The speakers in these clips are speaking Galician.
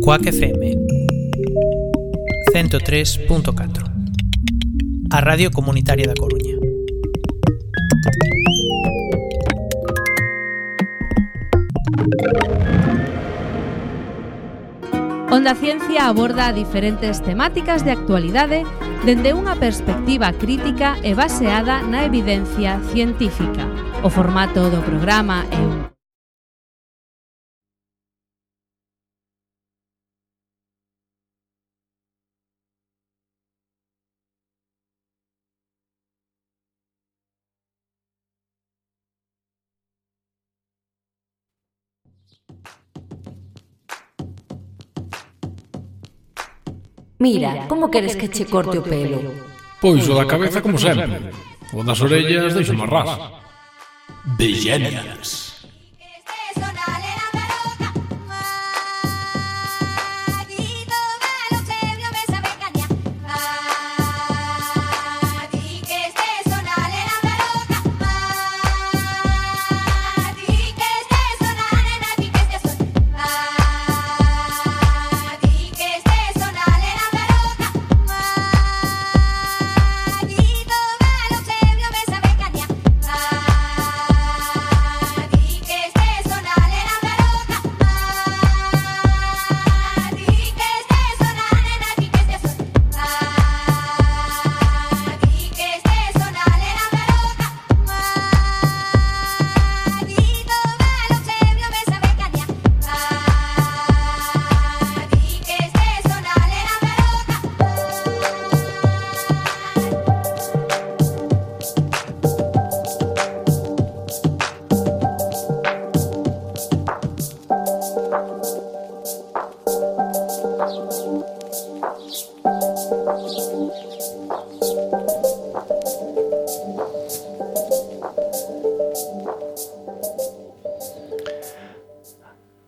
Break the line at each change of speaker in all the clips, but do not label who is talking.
Cuac FM 103.4, a Radio Comunitaria da Coruña.
Onda Ciencia aborda diferentes temáticas de actualidade dende unha perspectiva crítica e baseada na evidencia científica. O formato do programa é un
Mira, como queres que che corte o pelo?
Pois o da cabeza como sempre. O das orellas deixo máis ras.
Bellenias.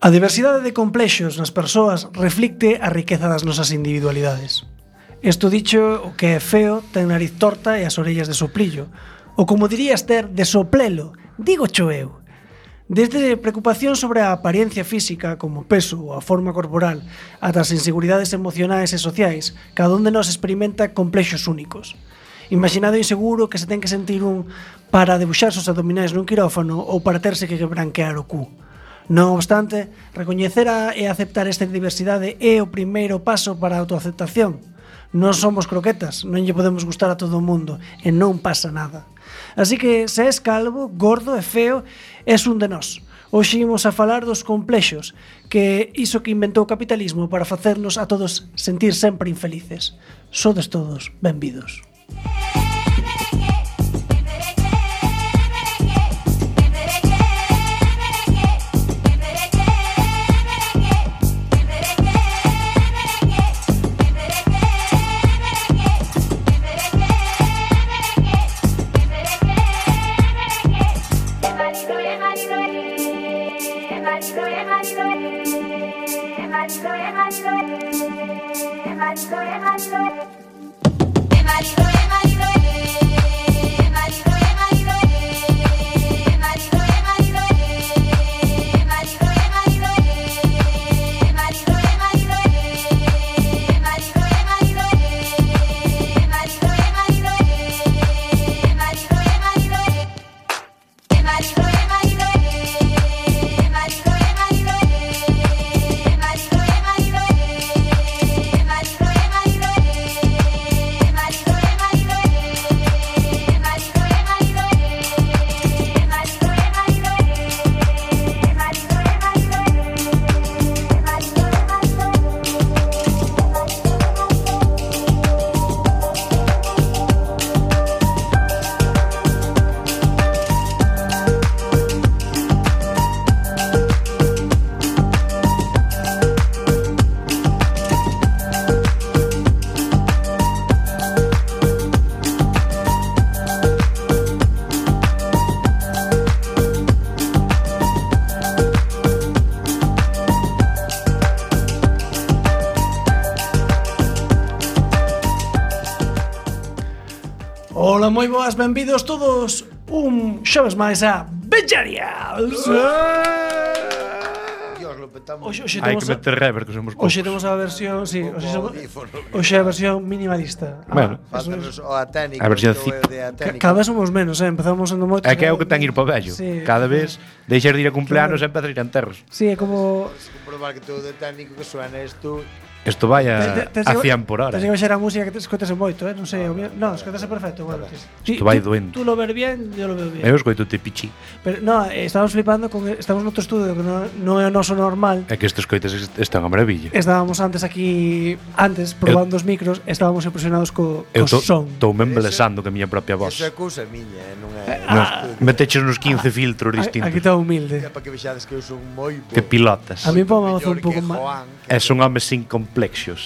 A diversidade de complexos nas persoas reflicte a riqueza das nosas individualidades. Isto dicho, o que é feo ten nariz torta e as orellas de soplillo, ou como diría Esther, de soplelo, digo cho eu. Desde preocupación sobre a apariencia física, como o peso ou a forma corporal, ata as inseguridades emocionais e sociais, cada un de nós experimenta complexos únicos. Imaginado inseguro que se ten que sentir un para debuxarse os abdominais nun quirófano ou para terse que branquear o cu. Non obstante, recoñecer e aceptar esta diversidade é o primeiro paso para a autoaceptación. Non somos croquetas, non lle podemos gustar a todo o mundo e non pasa nada. Así que, se és calvo, gordo e feo, és un de nós. Hoxe imos a falar dos complexos, que iso que inventou o capitalismo para facernos a todos sentir sempre infelices. Sodes todos benvidos. Ola, moi boas, benvidos todos un xoves máis a Bellenias. Hoxe
Hai
temos
que meter rever, que somos poucos.
Hoxe temos a versión, sí, hoxe a versión minimalista.
Bueno,
Faltanos o a técnica.
a versión
Cada vez somos menos, empezamos sendo moitos.
É que é o que ten ir para o vello.
Sí.
Cada vez deixas de ir a cumpleanos e empezas a ir a enterros.
Sí, é como
Comprobar que todo de técnico que suena isto.
Isto vai a 100 por hora.
Tens que baixar a música que te escoitase moito, non sei, no, escoitase perfecto, bueno.
Isto vai doendo.
Tú lo ver bien, yo lo veo bien.
Eu escoito te pichi.
Pero no, estamos flipando con estamos noutro estudio que non é o noso normal.
É que estes coites están a maravilla.
Estábamos antes probando os micros, estábamos impresionados co son.
Estou-me embelesando que a miña propia voz.
Eso é cousa miña, non é.
Meteches nos 15 filtros distintos.
Aquí está humilde.
Para que vexades que eu son moi bo.
Que pilotas.
A mí pome un pouco máis.
É son homes sin complexos.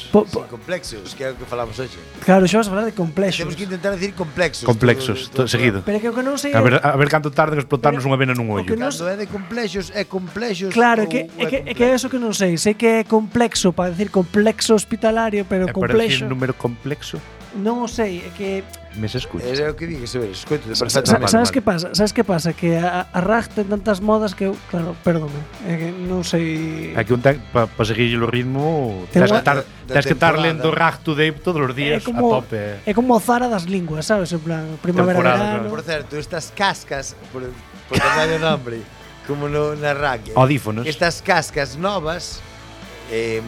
Sin complexos, que é o que falamos hoxe.
Claro, xa vas a falar de complexos.
Temos que intentar decir complexos.
Complexos, seguido.
Pero que o que non sei
A ver canto tarde en explotarnos unha vena nun ollo.
Cando é de complexos, é complexos.
Claro, é que é eso que non sei. Sei que é complexo para decir complexo hospitalario, pero
É para decir
complexo.
número complexo.
Non o sei, é que
Me se escucha.
É o que vi, que se ve, escoito de perfectamente.
Sabes que pasa? Sabes que pasa? Que a RAG ten tantas modas que eu, claro, perdome, é que non sei.
Aquí un para seguir o ritmo
Ten
tens que estar lendo Rag to Dave todos os días a tope.
É como o Zara das linguas, sabes? En plan, primavera, verano.
Por certo, estas cascas, por dar o nombre, como na RAG.
Audífonos.
Estas cascas novas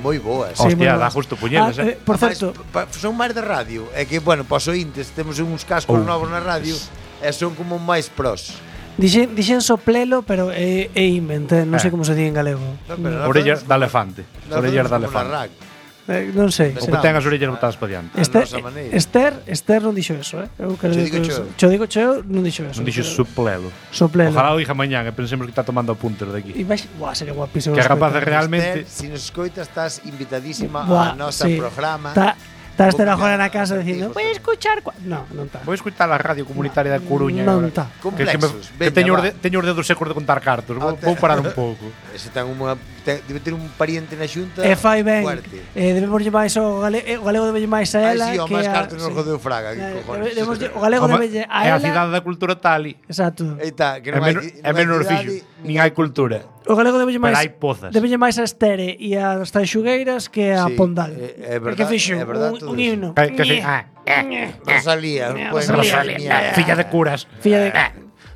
moi boas.
Hostia, dá justo puñelas,
por certo,
son máis de radio. É que, bueno, para os ointes temos uns cascos novos na radio e son como máis pros.
Dixen soplelo, pero é invent, non sei como se di en galego.
Orellas de elefante. Orellas de elefante.
Non sei.
O que ten as orellas botadas para diante.
Esther non dixo eso, Eu quero digo cheo, non dixo eso.
Non dixo soplelo.
Soplelo.
Ojalá o diga mañán e pensemos que está tomando apuntes de aquí.
E vai, sería guapísimo.
Que rapaz realmente.
Se nos escoitas estás invitadísima ao noso programa.
Está Esther agora na casa dicindo voy a escuchar... Non está.
Vou escutar a radio comunitaria da Coruña.
Non está.
Complexos.
Que teño os dedos secos de contar cartos. Vou parar un pouco.
Ese debe ter un pariente na xunta.
E fai ben. Debemos máis o galego debe máis a ela.
Ai, si, o máis cartos nos jodeu Fraga.
O galego debe a ela.
É a cidade da cultura tali.
Exacto.
É menos fixo. Nin hai cultura.
O galego debe máis.
Pero hai pozas.
Debe máis a Estere e as Tanxugueiras que a Pondal.
É verdade.
Que fixo un himno.
Rosalía.
Filla de curas.
Filla de...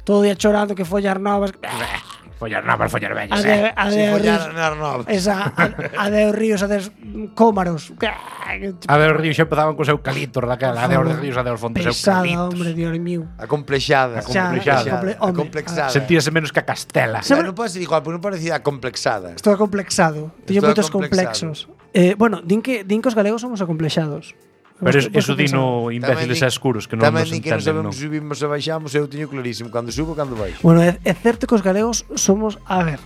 Todo día chorando que follar novas.
Follar novas, follar vellas.
A de os ríos, a de cómaros.
A de os ríos xa empezaban cos eucaliptos daquela. A de os ríos, a de os fontes eucaliptos.
Pesada, hombre, Dios mío.
Acomplexada.
Acomplexada. Sentíase menos que a Castela.
Non pode ser igual, porque non parecía acomplexada.
Estou acomplexado. Teño moitos complexos. Bueno, din que os galegos somos acomplexados.
Pero eso dino imbéciles e escuros que non nos entenden, non?
Tamén que non sabemos se subimos ou baixamos, eu teño clarísimo cando subo e cando baixo.
Bueno, é certo que os galegos somos, a ver,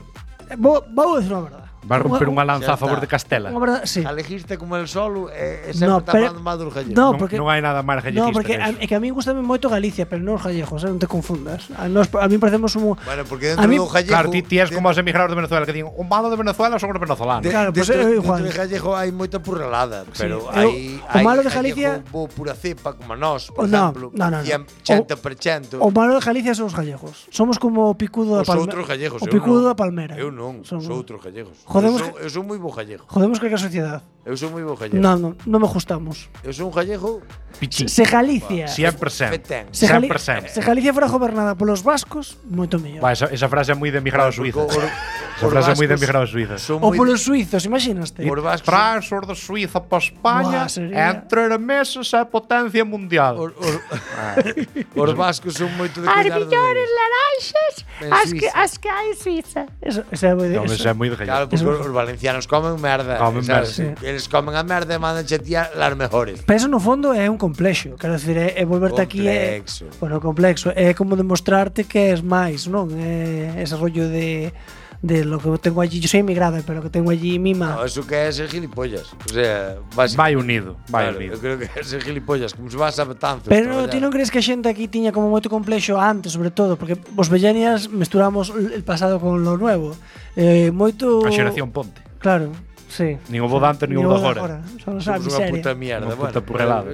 vou dicir unha verdade.
Va a romper unha lanza a favor de Castela.
Unha verdade, sí.
Alejiste como el solo e sempre está falando mal dos gallegos.
Non hai nada máis gallejista.
No, porque é que a mí gustame moito Galicia, pero non os gallegos, non te confundas. A mí parecemos un...
Bueno, porque dentro do gallego...
Claro, ti és como os emigrados de Venezuela que din o malo de Venezuela son os venezolanos.
Claro,
pues igual. Dentro do gallego hai moita purralada, pero hai
o malo de Galicia
bo pura cepa como nós, por exemplo, 100%.
O malo de Galicia son os gallegos. Somos como o picudo da Palmera.
Os outros gallegos,
o picudo da Palmera.
Eu non, son outros gallegos.
Eu
son moi bo gallego.
Jodemos que a sociedade.
Eu son moi bo gallego.
Non me gustamos.
Eu son un gallego
pichí.
Se Galicia
100%.
Se Galicia fora gobernada polos vascos, moito mellor.
Esa frase é moi de emigrado a Suiza. Esa frase é moi de emigrado a Suiza.
Ou polos suizos, imaginaste.
Transfer de Suiza para España entre meses é potencia mundial.
Os vascos son moito de cuidar
as millores laranxas as que hai en Suiza.
Eso é
moi de gallego.
Claro, porque os valencianos comen merda. Eles comen a merda e mandan chetear las mejores.
Pero eso no fondo é un complexo. Quero dicir, é volverte aquí bueno, complexo. É como demostrarte que és máis, non? É ese rollo de lo que tengo allí, yo soy emigrada, pero lo que tengo allí mima.
No, eso que é ser gilipollas. O sea,
vai unido, vai unido.
Eu creo que é ser gilipollas, como se vas a Betanzos.
Pero ti non crees que a xente aquí tiña como moito complexo antes, sobre todo, porque os vellenias mesturamos el pasado con lo nuevo. Moito
a xeración Ponte.
Claro. Sí.
Nin o bo dante, nin o de agora.
Somos unha puta mierda.
Unha puta purrelada.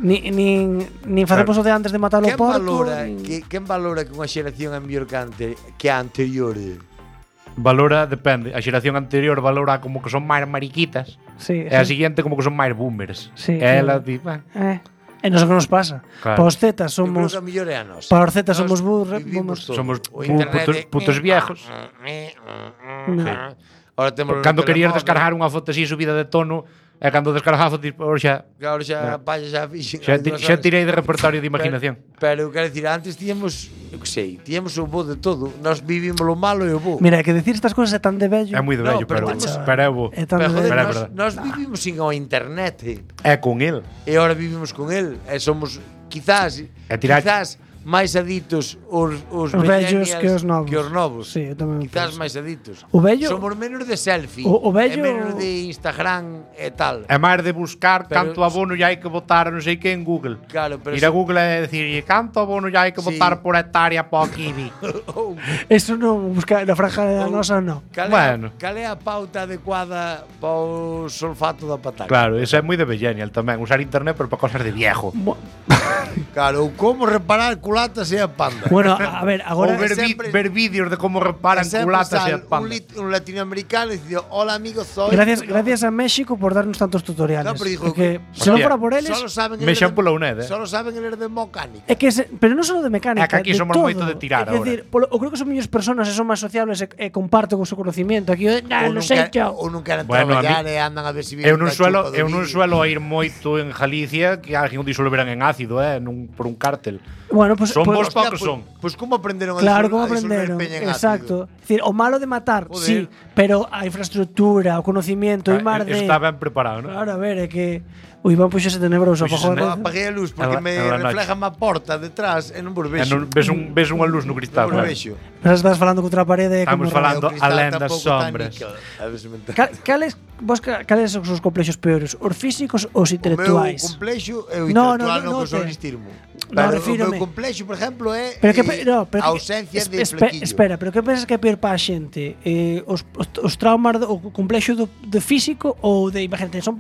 Nin facemos o de antes de matar o porco.
Quen valora que unha xeración é mellor que a anterior?
valora, depende. A xeración anterior valora como que son máis mariquitas.
Sí,
E a seguinte como que son máis boomers.
Sí,
E ela di,
E non sei que nos pasa.
Claro.
Para os zetas
Eu creo
somos...
que a mellor é a nosa.
Para os zetas somos
vivimos todo.
somos
O internet
putos viejos.
Ahora temos
Cando querías descargar unha foto así subida de tono, e cando descargaba a foto, xa
Claro, xa xa fixen.
xa tirei de repertorio de imaginación.
Pero quero dicir, antes tíamos, eu que sei, tíamos o bo de todo. Nós vivimos lo malo e o bo.
Mira, que decir estas cousas é tan de vello.
É moi de vello,
pero
pero é bo.
É tan
Pero,
de
joder,
vello.
verdad.
nós vivimos sin o internet.
É con el.
E ahora vivimos con el. E somos, quizás máis aditos os
vellos
millennials
que os novos.
novos.
Sí, eu tamén
Quizás
penso.
máis aditos.
O vello-
Somos menos de selfie.
O vello-
E menos de Instagram e tal.
É máis de buscar
Pero-
canto abono lle hai que botar non sei que en Google.
Claro, pero
Ir a Google e decir canto abono lle hai que
Sí.
botar por hectárea para o kiwi.
Eso non, buscar na franja da nosa non.
Bueno.
Cal é a pauta adecuada para o sulfato da pataca?
Claro, eso é moi de millennial tamén, usar internet pero para cosas de viejo.
Claro, ou como reparar culatas e a panda.
Bueno, a ver, agora
Ou ver vídeos de como reparan culatas e a panda.
Un latinoamericano dicindo, hola amigo, soy...
gracias a México por darnos tantos tutoriales.
No, pero dijo
porque
que-
se non
Hostia,
fora por eles,
Solo saben
Me
eles
xan pola UNED,
Solo saben eles de mecánica.
é que pero non só de mecánica,
É que aquí
de
somos
todo.
moito de tirar
É dicir, eu creo que son mellores personas e son máis sociables e comparten o seu conocimiento. Aquí, non sei yo.
Ou non queren
Bueno, a
traballar
mí-
e andan a ver se
Eu non suelo ir moito en Galicia que alguén o disolveran en ácido, por un cártel.
Bueno, pues,
Son
pues,
vos pa que son.
Pois como aprenderon a
Claro,
disolver-
como
a disolver
aprenderon.
peña en
Exacto. É dicir, o malo de matar,
Joder.
sí, pero a infraestructura, o conocimiento, e mar de...
Está ben preparado, non?
Claro, a ver, é que o Iván puxose tenebroso.
Puxose
Apagou a
ácido.
luz.
Apaguei a luz porque
En
me
la noche.
refleja má porta detrás e non vos
E
vexo.
non ves unha luz no cristal.
Non vos
claro.
vexo.
Mas estás falando contra a parede.
Estamos
como
falando
O cristal
alén das
tampouco está
sombras.
níquel. A ver se me entende.
Cales son os complexos peores? Os físicos ou os
O meu
intelectuais?
complexo é o
No,
intelectual
no,
no,
no
que son
te-
listismo.
No,
Pero o
refírome.
meu complexo, por exemplo, é
Pero que no, pero
a
que-
ausencia de
espe-
flequillo.
Espera, pero que pensas que é peor para a xente? Os traumas o complexo do físico ou de, imagínate, son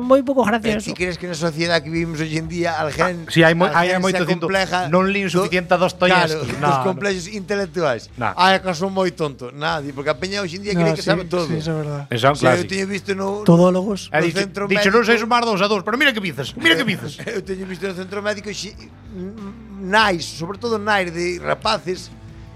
moi pouco
Pero
graciosos.
ti crees que na sociedade que vivimos hoxe en día alguén
Sí, hai
alguén
moito
se
cinto.
compleja
Non lín suficiente a Dostoyevsky.
Claro, os complexos intelectuais.
No.
Ai, que son moi tonto. Nadie, porque a peña hoxe en día cree que sabe todo.
Sí, eso é verdad.
Eso é un
Sí, eu
clásico.
teño visto no
Todólogos.
E
no
dicho,
centro
dicho non sei
médico-
sumar 2 a 2, pero mira que dices, mira que dices.
Eu teño visto no centro médico nais, sobre todo nais de rapaces,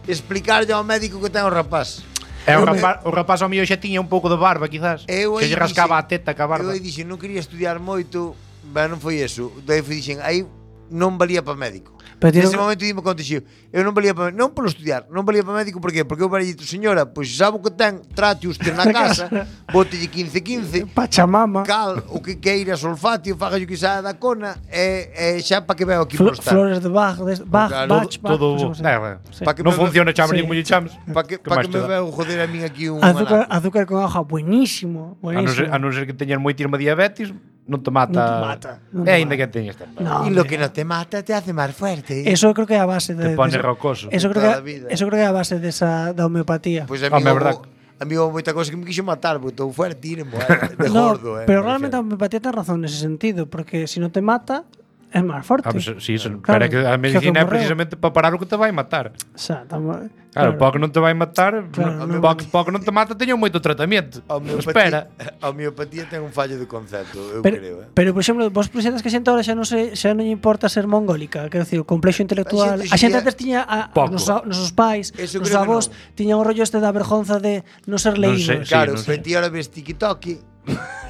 explicarlle ao médico que ten o rapaz.
E o rapaz ao mío xa tiña un pouco de barba, quizás.
Eu
Se
aí
lle rascaba a
dixen-
teta ca barba.
Eu aí dixen, non quería estudiar moito, ben, non foi eso. Daí dixen, aí non valía para médico.
Pero ti
Nese
non-
momento dime conto xeo, eu non valía para non polo estudiar, non valía para médico, por qué? Porque eu valía, señora, pois sabe o que ten, trate usted na casa, bótelle 15-15,
Pachamama.
cal, o que queira, solfatio, faga o que saia da cona, e xa para que veo aquí por estar.
Flores de Bach, Bach,
Claro,
Bach,
Todo,
non sei como se- Sí.
Pa que
non
me-
funciona chamos
sí.
nin chamos.
Para que
máis te
me
dá?
veo joder a min aquí un
Azúcar con agua, buenísimo, buenísimo.
A non ser que teñas moitísima diabetes, non te mata.
Non te mata, non
E
te
aínda
mata.
que teñas tamén.
No,
Y lo
hombre.
que no te mata te hace más fuerte.
Eso creo que é a base de
Te pone
de-
rocoso.
Eso creo
Toda a
que
vida.
eso creo que é a base desa da homeopatía.
Pues a
Home,
mí
verdad.
houve moita cosa que me quixo matar, porque estou fuerte, de
No,
gordo,
pero
me
realmente a
refiero.
homeopatía ten razón nese sentido, porque si non te mata é máis forte.
Sí,
Claro,
pero é que a
que
medicina é
morreu.
precisamente para parar o que te vai matar.
Xa,
Claro, para que non te vai matar,
Claro, non-
para que non te mata teño moito tratamento.
A homeopatía,
Espera.
a homeopatía ten un fallo de concepto, eu creo,
Pero, por exemplo, vos presentas que a xente ahora xa non lle importa ser mongólica, quero dicir, o complexo intelectual. A xente antes tiña
Pouco.
nosos pais,
Eso
os
creo que
avós tiñan o rollo este da vergonza de non ser
Non
leídos.
sei,
Claro,
non sei.
pero ti ahora ves TikTok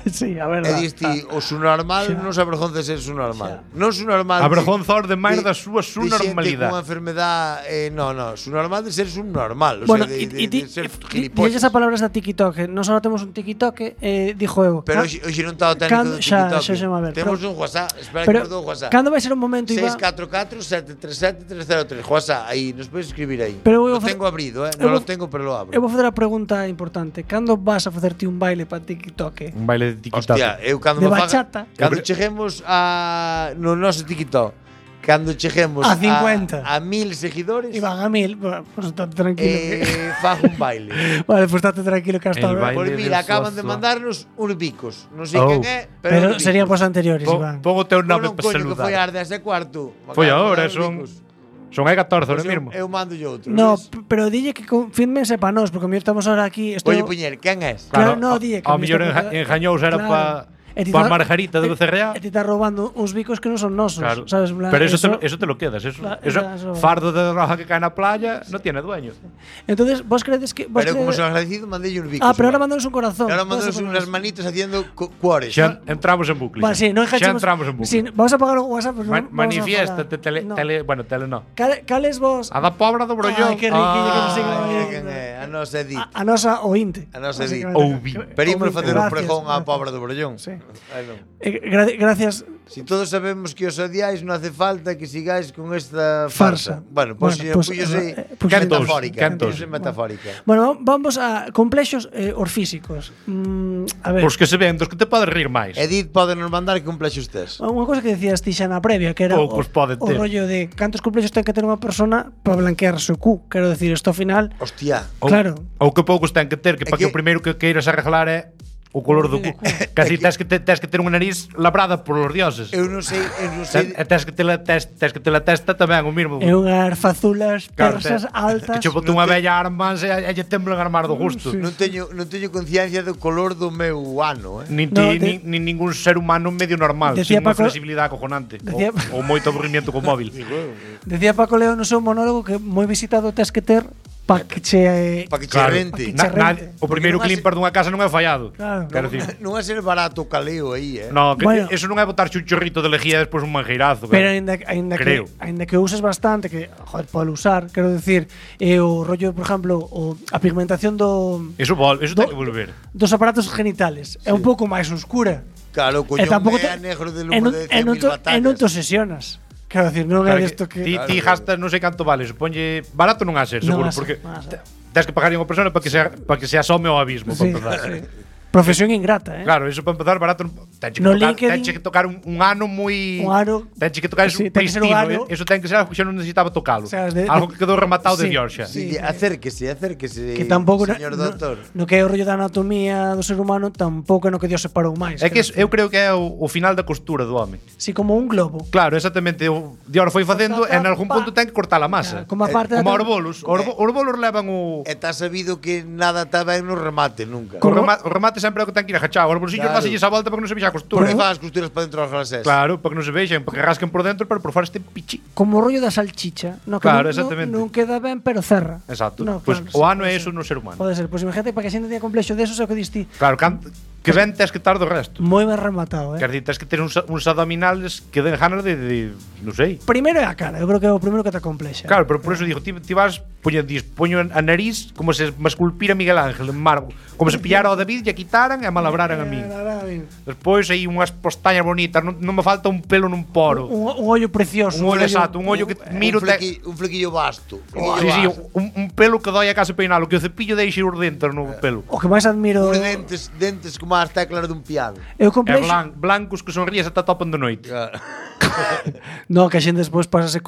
Sí, a
e
verdade.
diste o su normal non se avergonza de ser su normal. Non su normal.
A vergonza os demais da súa
de xente
normalidade.
con enfermedade, no, su normal de ser subnormal, o
Bueno,
sea, de ser
e
gilipollas.
esa palabra da TikTok, non só temos un TikTok, dixo eu.
Pero hoxe non está o técnico
Cando-
do
xa,
TikTok.
xa se me a ver,
Temos
pero-
un WhatsApp, espera
Pero
que me dou WhatsApp.
cando vai ser un momento, Iván?
644 737 303 WhatsApp, aí, nos podes escribir aí.
Pero eu
Lo
vou fa-
tengo abrido,
eu
non
vou-
lo tengo, pero lo abro.
Eu vou fazer a pregunta importante. Cando vas a facerte un baile para TikTok?
Un baile de
Hostia, eu cando
De
me faga,
bachata.
cando cheguemos a no noso TikTok, cando cheguemos
A 50.
a 1000 seguidores,
Iván, a 1000, pues estate tranquilo.
fago un baile.
Vale, pues estate tranquilo que hasta
El
ahora.
baile.
Por mira,
del
acaban de
Zozo.
mandarnos uns bicos. Non sei
Oh.
quen é, pero,
Pero
uns
serían
bicos.
pos anteriores, Iván.
Pon o teu nome
Non,
para
coño, que foi
saludar.
ás 10:15.
Foi ahora, son Son hai 14 ahora
Pois
mismo.
Eu mando outro.
No,
ves?
pero dille que confírmense para nós, porque a mellor estamos ahora aquí.
Oye, Puñer, quen és?
Claro, no, dille que
ao
a mí
mellor
está-
engañouse era
claro.
para
E ti
pa
tá-
Margarita de Becerreá.
E ti estás robando uns bicos que non son nosos,
Claro.
sabes? En plan,
Pero eso te lo quedas. Eso
Eso-
fardo de roja que cae na playa no tiene dueño.
Entonces, vos credes que... Vos
Pero como
credes-
son agradecido, mandei uns bicos.
Ah, pero ahora
igual.
mándanos un corazón.
E ahora
Vamos a
mandanos
poner
unhas
eso.
manitas haciendo cuores.
Xa entramos en bucle.
Vale, sí, non
xa
enganchemos.
entramos en bucle.
Sí, vamos a pagar o WhatsApp, pues non vamos a
Manifiéstate,
falar. No.
bueno, tele no.
Cales vos...
A da pobra do brollón.
Ai, que riquillo que nos siga
Mira
aí.
quen é, a nosa Edith.
A nosa ointe.
A nosa Edith.
Básicamente.
Pero imos facer un
Gracias,
pregón á
gracias.
pobra do Brollón.
Sí.
Ai, non.
Gracias.
Si todos sabemos que os odiáis, non hace falta que sigáis con esta
Farsa.
farsa. Bueno, pues,
Bueno, pues,
púllose
pues,
metafórica.
cantos.
Púllose metafórica.
Bueno, vamos a complexos os físicos. A ver.
Os que se ven, dos que te podes rir máis.
Edith pode nos mandar que complexos tes.
Unha cosa que decías ti xa na previa, que era
Poucos poden
o
ter.
rollo de cantos complexos ten que ter unha persona para blanquearse o cu. Quero decir, isto ao final...
Hostia.
Claro.
Ou que poucos ten que ter, que
É
para que
que-
o primeiro que queiras arreglar é o color do cu. Casi tes que ter unha nariz labrada por os dioses.
Eu non sei,
E tes que ter a testa tamén o mismo.
É unhas fazulas
Claro,
persas altas.
Que che botou unha bella armas e lle temblan armar do gusto.
non teño conciencia do color do meu ano,
Nin
No,
ti, nin ningún ser humano medio normal,
Decía
sin unha
Paco-
flexibilidade acojonante.
Decía-
Ou moito aburrimiento co móvil.
Decía Paco Leo no seu monólogo que moi visitado tes que ter para que che...
para que che
Claro.
rente.
Pa' que che
O primeiro
Porque non
climper dunha casa non é fallado.
Claro.
Quero
Non,
dicir.
non é ser barato o caleo aí,
No, que
Bueno.
eso non é botar un chorrito de lejía e despois un manjeirazo.
Pero
cara.
ainda que uses bastante, que, joder, pode usar, quero decir, o rollo, por exemplo, a pigmentación
Eso ten que volver.
dos aparatos genitales é un pouco máis oscura.
Claro, o
E
collón
tampouco
é negro de
e
lumo
non-
de
e
100.000
non
batallas.
non te obsesionas. Quero decir, non é
Claro
desto que...
Ti gastas non sei canto vale, suponlle barato non a ser,
Non
seguro,
a ser,
porque
non a ser.
tens que pagar a unha persona para que se asome ao abismo,
Sí,
para empezar.
sí. Profesión ingrata,
Claro, eso para empezar barato tenche
No
que tocar,
LinkedIn-
tenche que tocar un ano moi
Un ano-
tenche que tocar eso
Sí, ten que ser un
pristino,
ano-
eso ten que ser algo que xa non necesitaba tocalo.
O sea,
Algo que quedou rematado de
Sí,
Dios xa.
sí.
Dille, acérquese,
que tampouco
señor doctor.
no que é o rollo da anatomía do ser humano tampouco é no que Dios separou máis.
É que
quero
eu creo que é o final da costura do home.
Si como un globo.
Claro, exactamente, o Dios foi facendo e en algún punto ten que cortar a masa.
Como a parte da-
como os bolos, os bolos levan o
E está sabido que nada está ben no remate, nunca.
o remate sempre é o que ten que ir agachado. Os bolsillos
Claro.
dáselles a volta para que non se vexa a
Por
costura.
que faz as costuras para dentro das frases?
Claro, para que non se vexan, para que rasquen por dentro, pero por fora este pichi.
Como o rollo da salchicha, no que
Claro,
non,
exactamente.
non queda ben, pero cerra.
Exacto.
No,
Pois
claro,
o
sí,
ano é
pode
eso
ser.
no ser humano.
Pode ser, pois imagínate para que a xente tenha complexo desos é o que diste.
Claro, que ben tes que estar do resto.
Moi ben rematado,
Quer dicir, tes que ter uns abdominales que den ganas de non sei.
Primeiro é a cara, eu creo que é o primeiro que te complexa.
Claro, pero por eso digo, ti vas poño a nariz como se me esculpira Miguel Ángel en mármol, como se pillara ao David e a quitaran e a malabraran a min. Despois aí unhas postañas bonitas, non me falta un pelo nun poro.
Un ollo precioso.
Un ollo exacto, un ollo que miro
un flequillo vasto.
Sí, sí, un pelo que doi a case peinalo, que o cepillo deixe os dentes no pelo.
O que máis admiro...
Uns dentes como as teclas dun piano.
Eu
É
complexo...
blancos que sonríes ata topan de noite.
No, que a xente despois pásase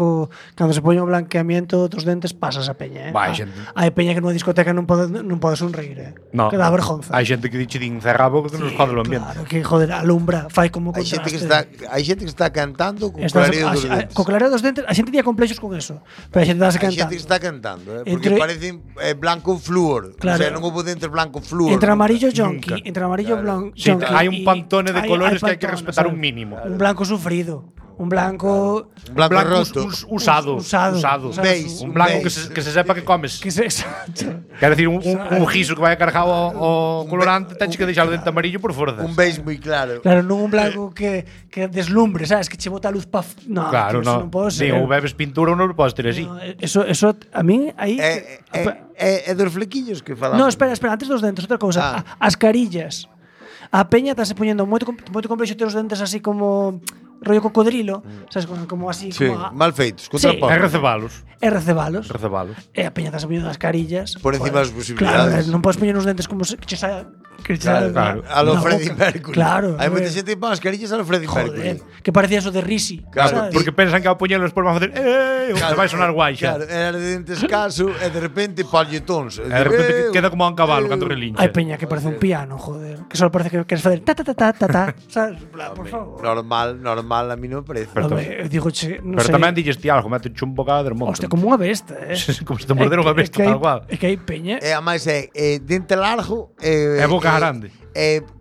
cando se poñe o blanqueamiento dos dentes pasas a peña,
Vai, xente.
Hai peña que nunha discoteca non pode sonreír,
No.
Que dá vergonza.
Hai xente que diche din cerra a boca que nos jode o ambiente.
Claro, que joder, alumbra, fai como
Hai xente que está cantando con
Estás-
clareo dos
a-
dentes.
co clareo dos dentes, a xente tiña complexos con eso. Pero a xente dase
Hai xente
cantando.
que está cantando, porque
Entre-
parecen blanco flúor.
Claro.
O sea, non houve dentes blanco flúor.
Entre amarillo
nunca.
jonqui, entre amarillo blanco.
Sí, hai un pantone de colores que hai que respetar un mínimo.
Un blanco sufrido, un blanco
Un blanco roto.
Usado.
Usado.
Beis,
Un blanco
beis.
que se sepa que comes.
que se exacto.
Quer decir, un guiso que vai cargado ao colorante, teñes que deixar o dente amarillo por forza.
Un beis moi claro.
Claro, non un blanco que deslumbre, sabes, que che bota a luz pa no,
Claro,
tío, eso
no.
non pode ser.
Digo, bebes pintura ou non podes ter así.
No, eso a mí aí
É dos flequillos que falamos.
No, espera, antes dos dentes, outra cousa, as carillas. A peña está se poñendo moito complexo ter os dentes así como rollo cocodrilo, sabes, como así
Sí,
como
mal feitos,
Sí.
contra
É recebalos.
e recebalos.
Recebalos.
E a peña está se poñendo as carillas.
Por encima das posibilidades.
Claro, non podes poñer uns dentes como se, que che saia
Claro.
A lo Freddie Mercury.
Claro.
Hai moita xente que pon mascarillas a lo Freddie Mercury.
Joder, que parecía eso de Risi.
Claro,
¿sabes?
Porque pensan que ao poñelo despois van a facer te vai sonar guai xa.
Claro, era de dente escaso e de repente polletons.
E de repente queda como un cabalo cando relincha.
Hai peña que parece un piano, joder. Que só parece que queres facer ta ta ta ta ta ta. ¿Sabes? Por favor.
Normal, a mí non me parece.
Digo, che, non
Pero
sei.
tamén dilles ti algo, mete un bocado de monte.
Hostia, como unha besta,
Como se te morderon unha besta tal cual.
É que hai peña.
E a máis é dente largo
E boca grande.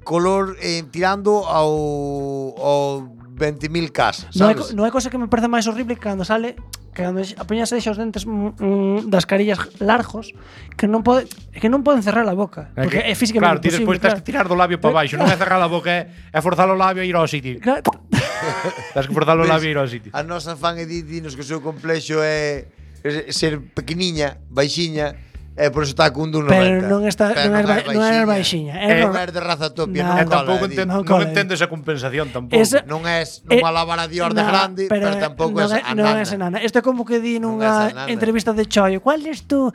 Color tirando ao 20.000 casas, sabes?
Non hai cosa que me parece máis horrible que cando sale cando a peña se deixa os dentes das carillas largos que non poden cerrar a boca porque é
Claro,
físicamente
ti despois tens que tirar do labio para baixo, non é cerrar a boca, é forzar o labio e ir ao sitio. Tens que forzar o labio e ir ao sitio.
A nosa fan é dinos que o seu complexo é ser pequeniña, baixiña. Por eso está cun 1,90.
Pero non é baixiña.
Non é de raza topia, non
tampouco
cola.
non entendo esa compensación tampouco.
Non é malabar a Dior de grande, pero tampouco é
enana. Isto é como que di nunha entrevista de Choio, ¿cuál es tu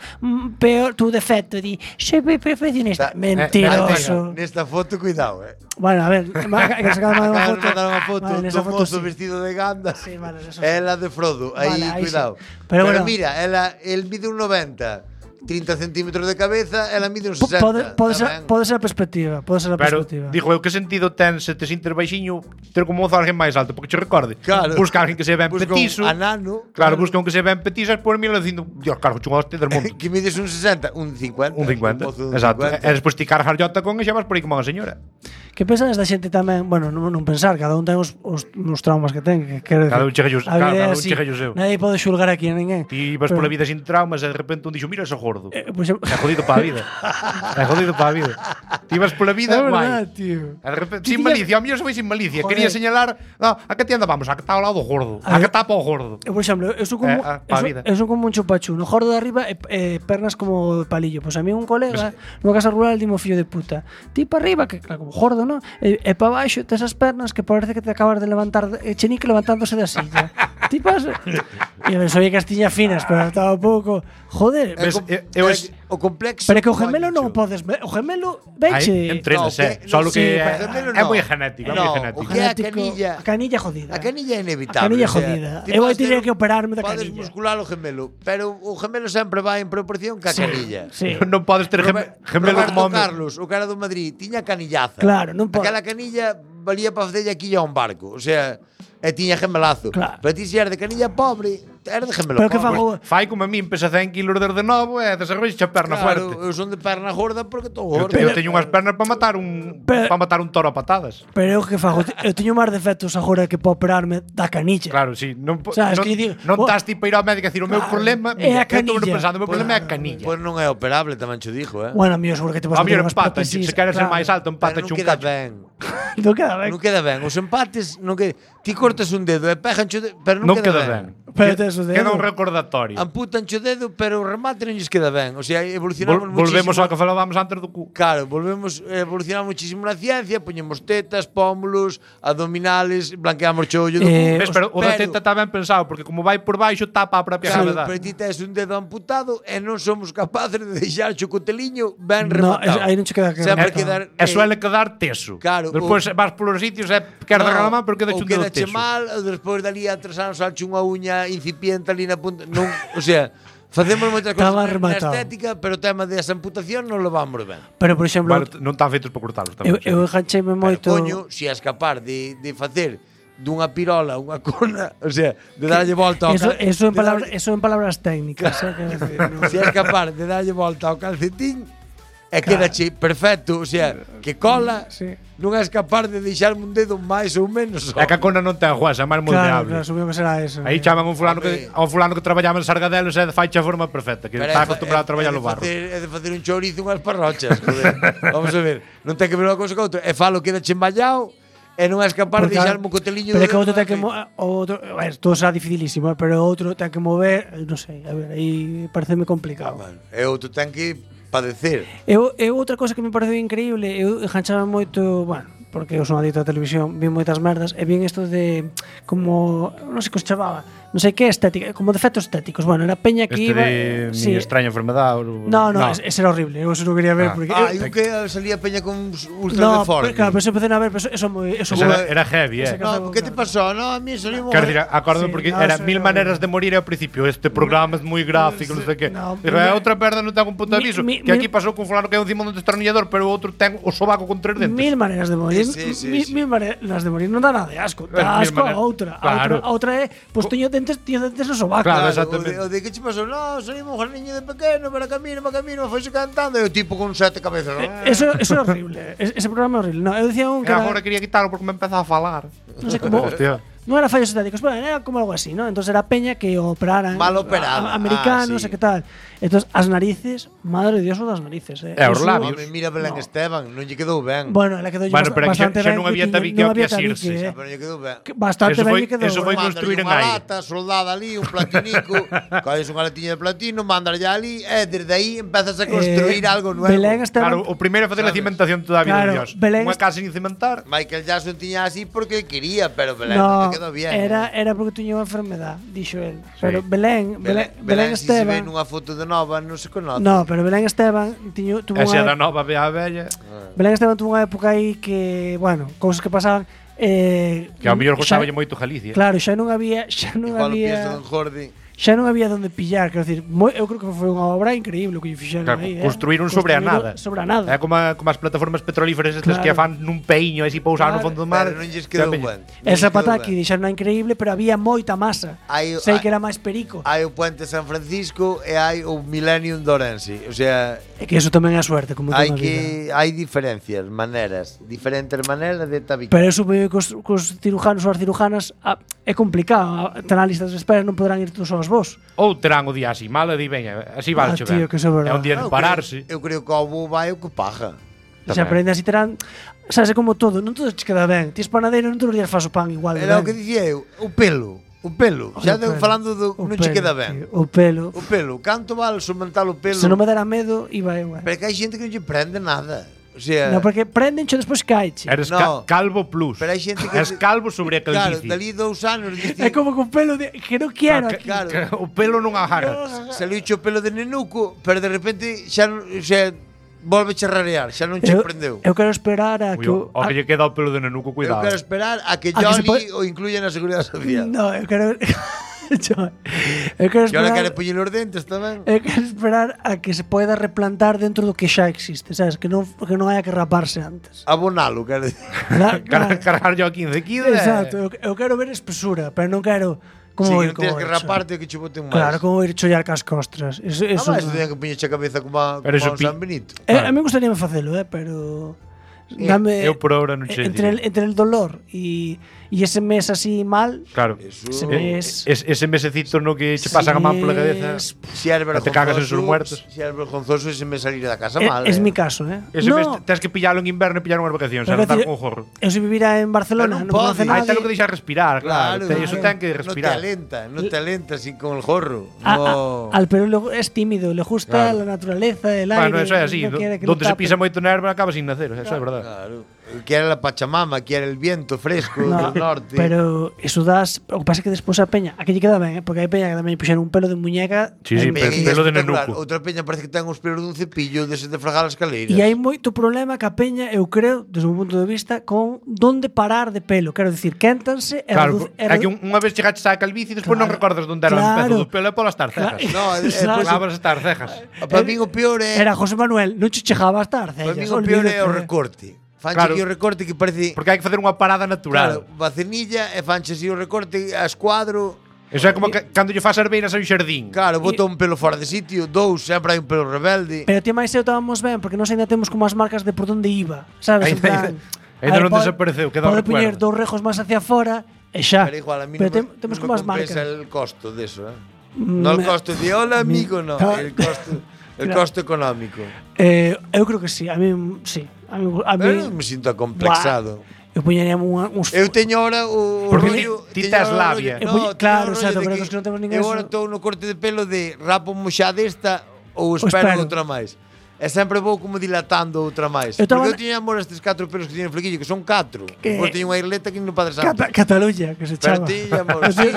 defecto? Di, soy perfeccionista. Mentiroso.
Nesta foto, cuidado,
Bueno, a ver, que se acaba de mandar
unha foto do mozo vestido de ganda.
Sí, vale, eso sí.
Ela de Frodo, aí cuidado.
Pero
mira, el mide un 90. 30 centímetros de cabeza, ela mide uns 60.
Pode ser a perspectiva,
Pero, digo eu, que sentido ten se te sintes baixiño ter como mozo alguén máis alto? Porque che recorde, busca alguén que se ben petiso.
Anano.
Claro, busca un que se ben petiso e por mí lo dicindo, Dios, cargo, chungo hostia del mundo.
Que mides un 60, un 50.
Un 50, exacto. E despois ti cargas jota con e xa vas por aí como unha señora.
Que pensas da xente tamén, bueno, non pensar, cada un ten os traumas que ten,
cada un chegallo seu.
Nadie pode xulgar aquí a ninguén.
Ti vas pola vida sin traumas e de repente un dixo, mira ese gordo. É jodido para a vida. É jodido para a vida. Ti vas pola vida, guai.
Tío.
E de repente, sin malicia, a mí eu foi sin malicia. Quería señalar, a que ti andamos? A que está ao lado do gordo. A que está para o gordo.
Por exemplo, eu son como un chupachu, no gordo de arriba e pernas como palillo. Pois a mí un colega nunha casa rural dimo fillo de puta. Ti para arriba, que claro, como gordo, ¿no? E para baixo tes as pernas que parece que te acabas de levantar chenique levantándose da silla. Ti pasa. E eu sabía que as tiña finas, pero estaba un pouco, joder,
o complexo.
Pero que o gemelo non podes, o gemelo veche.
Entrenas, só que é moi genético,
O que é a canilla?
A canilla jodida.
A canilla é inevitable.
A canilla jodida. Eu vou ter que operarme da
canilla. Podes muscular o gemelo, pero o gemelo sempre vai en proporción ca canilla.
Non podes ter gemelo como
Carlos, o cara do Madrid, tiña canillaza.
Claro, non pode.
Aquela canilla valía para facerlle aquí a un barco, o sea, e tiña gemelazo.
Claro.
Pero ti se eres de canilla pobre, eres de gemelo
pero
pobre.
Que fago?
Fai como a min, pesa 100 kilos desde novo e desarrollas a perna fuerte.
Claro, eu son de perna gorda porque estou gordo.
Eu teño unhas pernas para matar un toro a patadas.
Pero eu que fago? Eu teño máis defectos agora que para operarme da canilla.
Claro, sí. Non
estás
tipo a ir ao médico a decir o meu problema
é a canilla.
O meu problema é a canilla.
Pois non é operable, tamén cho dixo,
Bueno, a mí seguro que te vas a
meter unhas prótesis. Se queres ser máis alto, empata un cacho.
Non queda ben. Os empates non que ti cortas un dedo e pegancho, pero non queda ben.
Queda un recordatorio.
Amputancho o dedo, pero o remate non lles queda ben. O sea, evolucionamos muchísimo.
Volvemos ao que falábamos antes do cu.
Claro, evolucionamos muchísimo na ciencia, poñemos tetas, pómulos, abdominales, blanqueamos o ollo do cu.
Pero o da teta está ben pensado, porque como vai por baixo tapa a propia gravedade.
Pero ti tes un dedo amputado e non somos capaces de deixar o coteliño ben rematado.
Aí non che queda
e suele quedar teso.
Claro.
Despois vas polos sitios e queres regalar a man, pero queda un dedo teso.
Mal, despois dali a 3 anos salche unha uña incipiente ali na punta. Non, o sea, facemos moitas cousas na estética, pero o tema desa amputación non lo vamos ben.
Pero, por exemplo,
non están feitos para cortalos tamén.
Eu engancheime moito.
Coño, se és capaz de facer dunha pirola unha cona, o sea, de darlle volta ao
Eso en palabras técnicas,
se és capaz de darlle volta ao calcetín e quedache perfecto, o sea, que cola, non és capaz de deixarme un dedo máis ou menos.
É que a cona non ten jueza, é máis moldeable.
Claro, supongo que será eso.
Aí chaman un fulano que traballaba en Sargadelos e faiche a forma perfecta, que está acostumbrado a traballar no barro.
É de facer un chourizo unhas parrochas, joder. Vamos a ver, non ten que ver unha cousa con outra. E falo quedache emballado e non és capaz de deixarme un coteliño.
Pero é que outro ten que todo será dificilísimo, pero outro ten que mover, non sei, a ver, aí pareceme complicado.
E outro ten que padecer.
Eu outra cosa que me pareceu increíble, eu enganchaba moito, bueno, porque eu son adicto á televisión, vi moitas merdas e vi isto de como, non sei que os chamaba, non sei que estética, como defectos estéticos. Bueno, era peña que iba...
de mi extraña enfermedad.
No, ese era horrible. Eu eso non quería ver. Porque
e o que salía peña con ultra deforme.
Claro, pero se empecé a ver, pero eso
era heavy,
No, que te pasó? No, a mí salimos...
Quero dicir, acórdame porque era 1000 maneras de morir ao principio. Este programa é moi gráfico, non sei que. É outra perda, non ten un punto de aviso. Que aquí pasou con fulano que é un cimón de destornillador, pero o outro ten o sobaco con 3 dentes.
1000 maneras de morir. 1000 maneras de morir non dá nada de asco. Dá asco a outra. A outra é, pois teño dentes no sobaco.
Claro, exactamente.
O de que che pasou? No, salimos un niño de pequeno, pero camino, foise cantando, e o tipo con 7 cabezas.
Eso é horrible. Ese programa é horrible. No, eu decía un que
agora quería quitarlo porque me empezaba a falar.
Non sei como. Non era fallos estéticos, bueno, era como algo así, ¿no? Entonces era peña que operaran
mal operado,
americanos, e que tal. Entonces as narices, madre de Dios, o das narices,
os labios.
Mira Belén Esteban, non lle quedou ben.
Bueno, ela quedou bastante ben.
Non había tabique ao que asirse.
Pero lle quedou ben.
Bastante ben lle quedou.
Eso foi construir en aire.
Unha lata soldada ali, un platinico, colles unha latiña de platino, mandarlle ali, e desde aí empezas a construir algo nuevo.
Belén Esteban.
Claro, o primeiro é facer a cimentación toda a vida de Dios. Unha casa sin cimentar.
Michael Jackson tiña así porque quería, pero Belén quedou bien.
Era porque tiña unha enfermedad, dixo el. Pero Belén
Esteban. Se ve nunha foto de nova, non se conoce.
No, pero Belén Esteban tuvo
unha... Esa da nova ve a bella.
Belén Esteban tuvo unha época aí que, bueno, cousas que pasaban
que ao mellor gostaba moito Galicia.
Claro, xa non había xa non había donde pillar, quero dicir, eu creo que foi unha obra increíble o que lle fixeron aí,
construíron sobre a nada. É como as plataformas petrolíferas estas que fan nun peiño así pousaban no fondo do mar.
Non lles quedou ben.
Esa pataki dixeron increíble, pero había moita masa. Sei que era máis perico.
Hai o Puente San Francisco e hai o Millennium de Ourense. O sea,
é que eso tamén é suerte, como toda a vida.
Hai diferentes maneras de tabicar.
Pero eso cos cirujanos ou as cirujanas é complicado. Terán listas de espera, non poderán ir todos aos vos.
Ou terán o día así mal e di veña, así vai chover. É un día de pararse.
Eu creo que ao bo vai o que paga.
Se aprende así terán, sabes, é como todo, non todo te queda ben. Tis panadeiro, non todos os días faz o pan igual.
Era o que dicía eu, o pelo. Xa falando do non che queda ben.
O pelo.
Canto vale somentar o pelo?
Se non me dera medo, iba eu.
Pero que hai xente que non lle prende nada. O sea,
no, porque prendencho despois caiche.
Eres calvo plus.
Pero hai xente que
es calvo sobre a calvicie.
Claro, dali 2 anos
é como con pelo que non quero aquí.
Claro. O pelo non agarra.
Se lo o pelo de nenuco, pero de repente xa volve a rarear, xa non che prendeu.
Eu quero esperar a que
o que lle queda o pelo de nenuco, cuidado.
Eu quero esperar a que Johnny o incluya na Seguridade Social.
No, eu quero
Eu quero esperar. Quero poñer os dentes tamén.
Eu quero esperar a que se poida replantar dentro do que xa existe, sabes? Que non haya que raparse antes.
Abonalo, quero dicir.
Cargar yo a 15 kilos.
Exacto, eu quero ver espesura, pero non quero como
non tens que raparte que che boten máis.
Claro, como ir chollar cas costras. Eso
máis ten que poñerche a cabeza como a San Benito.
A mí gustaría facelo, pero
eu por ahora non che
entre el dolor e ese mes así mal.
Claro. Ese mesecito no que che pasan a man pola cabeza.
Si eres vergonzoso,
te cagas en sus muertos.
Si eres vergonzoso ese mes salir da casa mal.
Es mi caso,
Ese mes tens que pillarlo en inverno e pillar unhas vacacións, a andar con jorro.
Eu se vivira en Barcelona, non conoce nada.
Aí ten que deixar respirar, claro. Eso ten que respirar.
No te alenta así con el jorro.
Al pero es tímido, le gusta la naturaleza, el aire.
Bueno, eso é así. Donde se pisa moito nervo acaba sin nacer, eso é verdade.
Claro. Quiere la Pachamama, quiere el viento fresco del norte.
Pero eso das, o que pasa é que despois a peña, aquí lle queda ben, porque hai peña que tamén puxeron un pelo de muñeca.
Sí, pelo de nenuco.
Outra peña parece que ten os pelos dun cepillo desde de fregar as escaleiras.
E hai moito problema que a peña, eu creo, desde o punto de vista, con donde parar de pelo. Quero dicir, quéntanse e
claro, é que unha vez chegaches á calvicie e despois non recordas onde era o pezo do pelo e polas tarcejas.
No,
despois as tarcejas.
Para mí o peor é...
Era José Manuel, non che chegaba as tarcejas.
Para mí o peor é o recorte. Fanche aquí o recorte que parece...
Porque hai que facer unha parada natural.
Claro, vacenilla e fanche así o recorte a escuadro.
Eso é como cando lle faz arbeiras a un xardín.
Claro, bota un pelo fora de sitio, 2, sempre hai un pelo rebelde.
Pero ti máis eu estábamos ben, porque nós ainda temos como as marcas de por onde iba, sabes?
Ainda non desapareceu, queda o recuerdo.
Pode poñer 2 rejos máis hacia fora e xa.
Pero igual, a mí
temos como as marcas.
el costo de eso, No el costo de hola amigo, no, el costo económico.
Eu creo que sí, a mí sí.
Eu me sinto acomplexado.
Eu poñeríamos uns...
Eu teño ahora o
rollo... Ti tes labia.
Claro, pero que non temos ninguén...
Eu agora estou no corte de pelo de rapo moxa desta ou espero outra máis. E sempre vou como dilatando outra máis.
Eu taba-
Porque eu tiña amor a estes 4 pelos que tiñen flequillo, que son 4.
Que-
Depois tiña unha irleta que no Padre Santo.
Cataluña, que se
Pero
chama.
tiña amor, sí.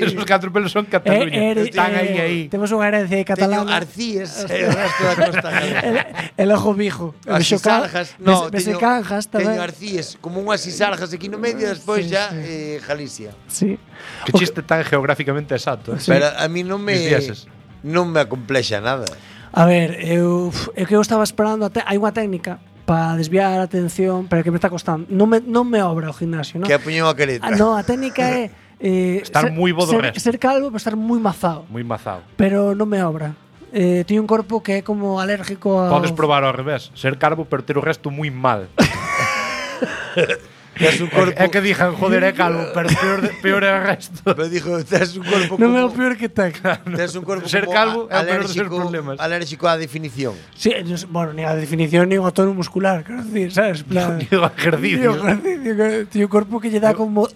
Os 4 pelos son Cataluña. Están aí.
Temos unha herencia
Teño
catalana.
arcíes e o resto da costa galega.
El ojo bijo.
As isargas, no,
Bese
teño
canjas tamén.
Teño arcíes, como unhas isargas aquí no medio, despois
Sí,
ya
sí.
Galicia.
Sí.
Que chiste tan geográficamente exacto.
Pero a mí non me
Dicíases.
non me acomplexa nada.
A ver, eu estaba esperando, hai unha técnica para desviar a atención, pero que me está costando. Non me obra o gimnasio, non?
Que apuñou a careta.
No, a técnica é
Estar moi bo do resto.
ser calvo, pero estar moi mazado.
Moi mazado.
Pero non me obra. Teño un corpo que é como alérgico a
Podes probar ao revés. Ser calvo, pero ter o resto moi mal.
Tes un corpo.
É que dixan, joder, é calvo, pero peor é o resto.
Pero dijo, tes un corpo
Non é o
como
peor que ten.
tes un corpo
Ser
como
calvo é o peor dos seus problemas.
Alérgico á definición.
Sí, bueno, ni a definición ni o tono muscular, quero decir, sabes? Plan,
Ni o ejercicio.
Tío corpo que lle dá como,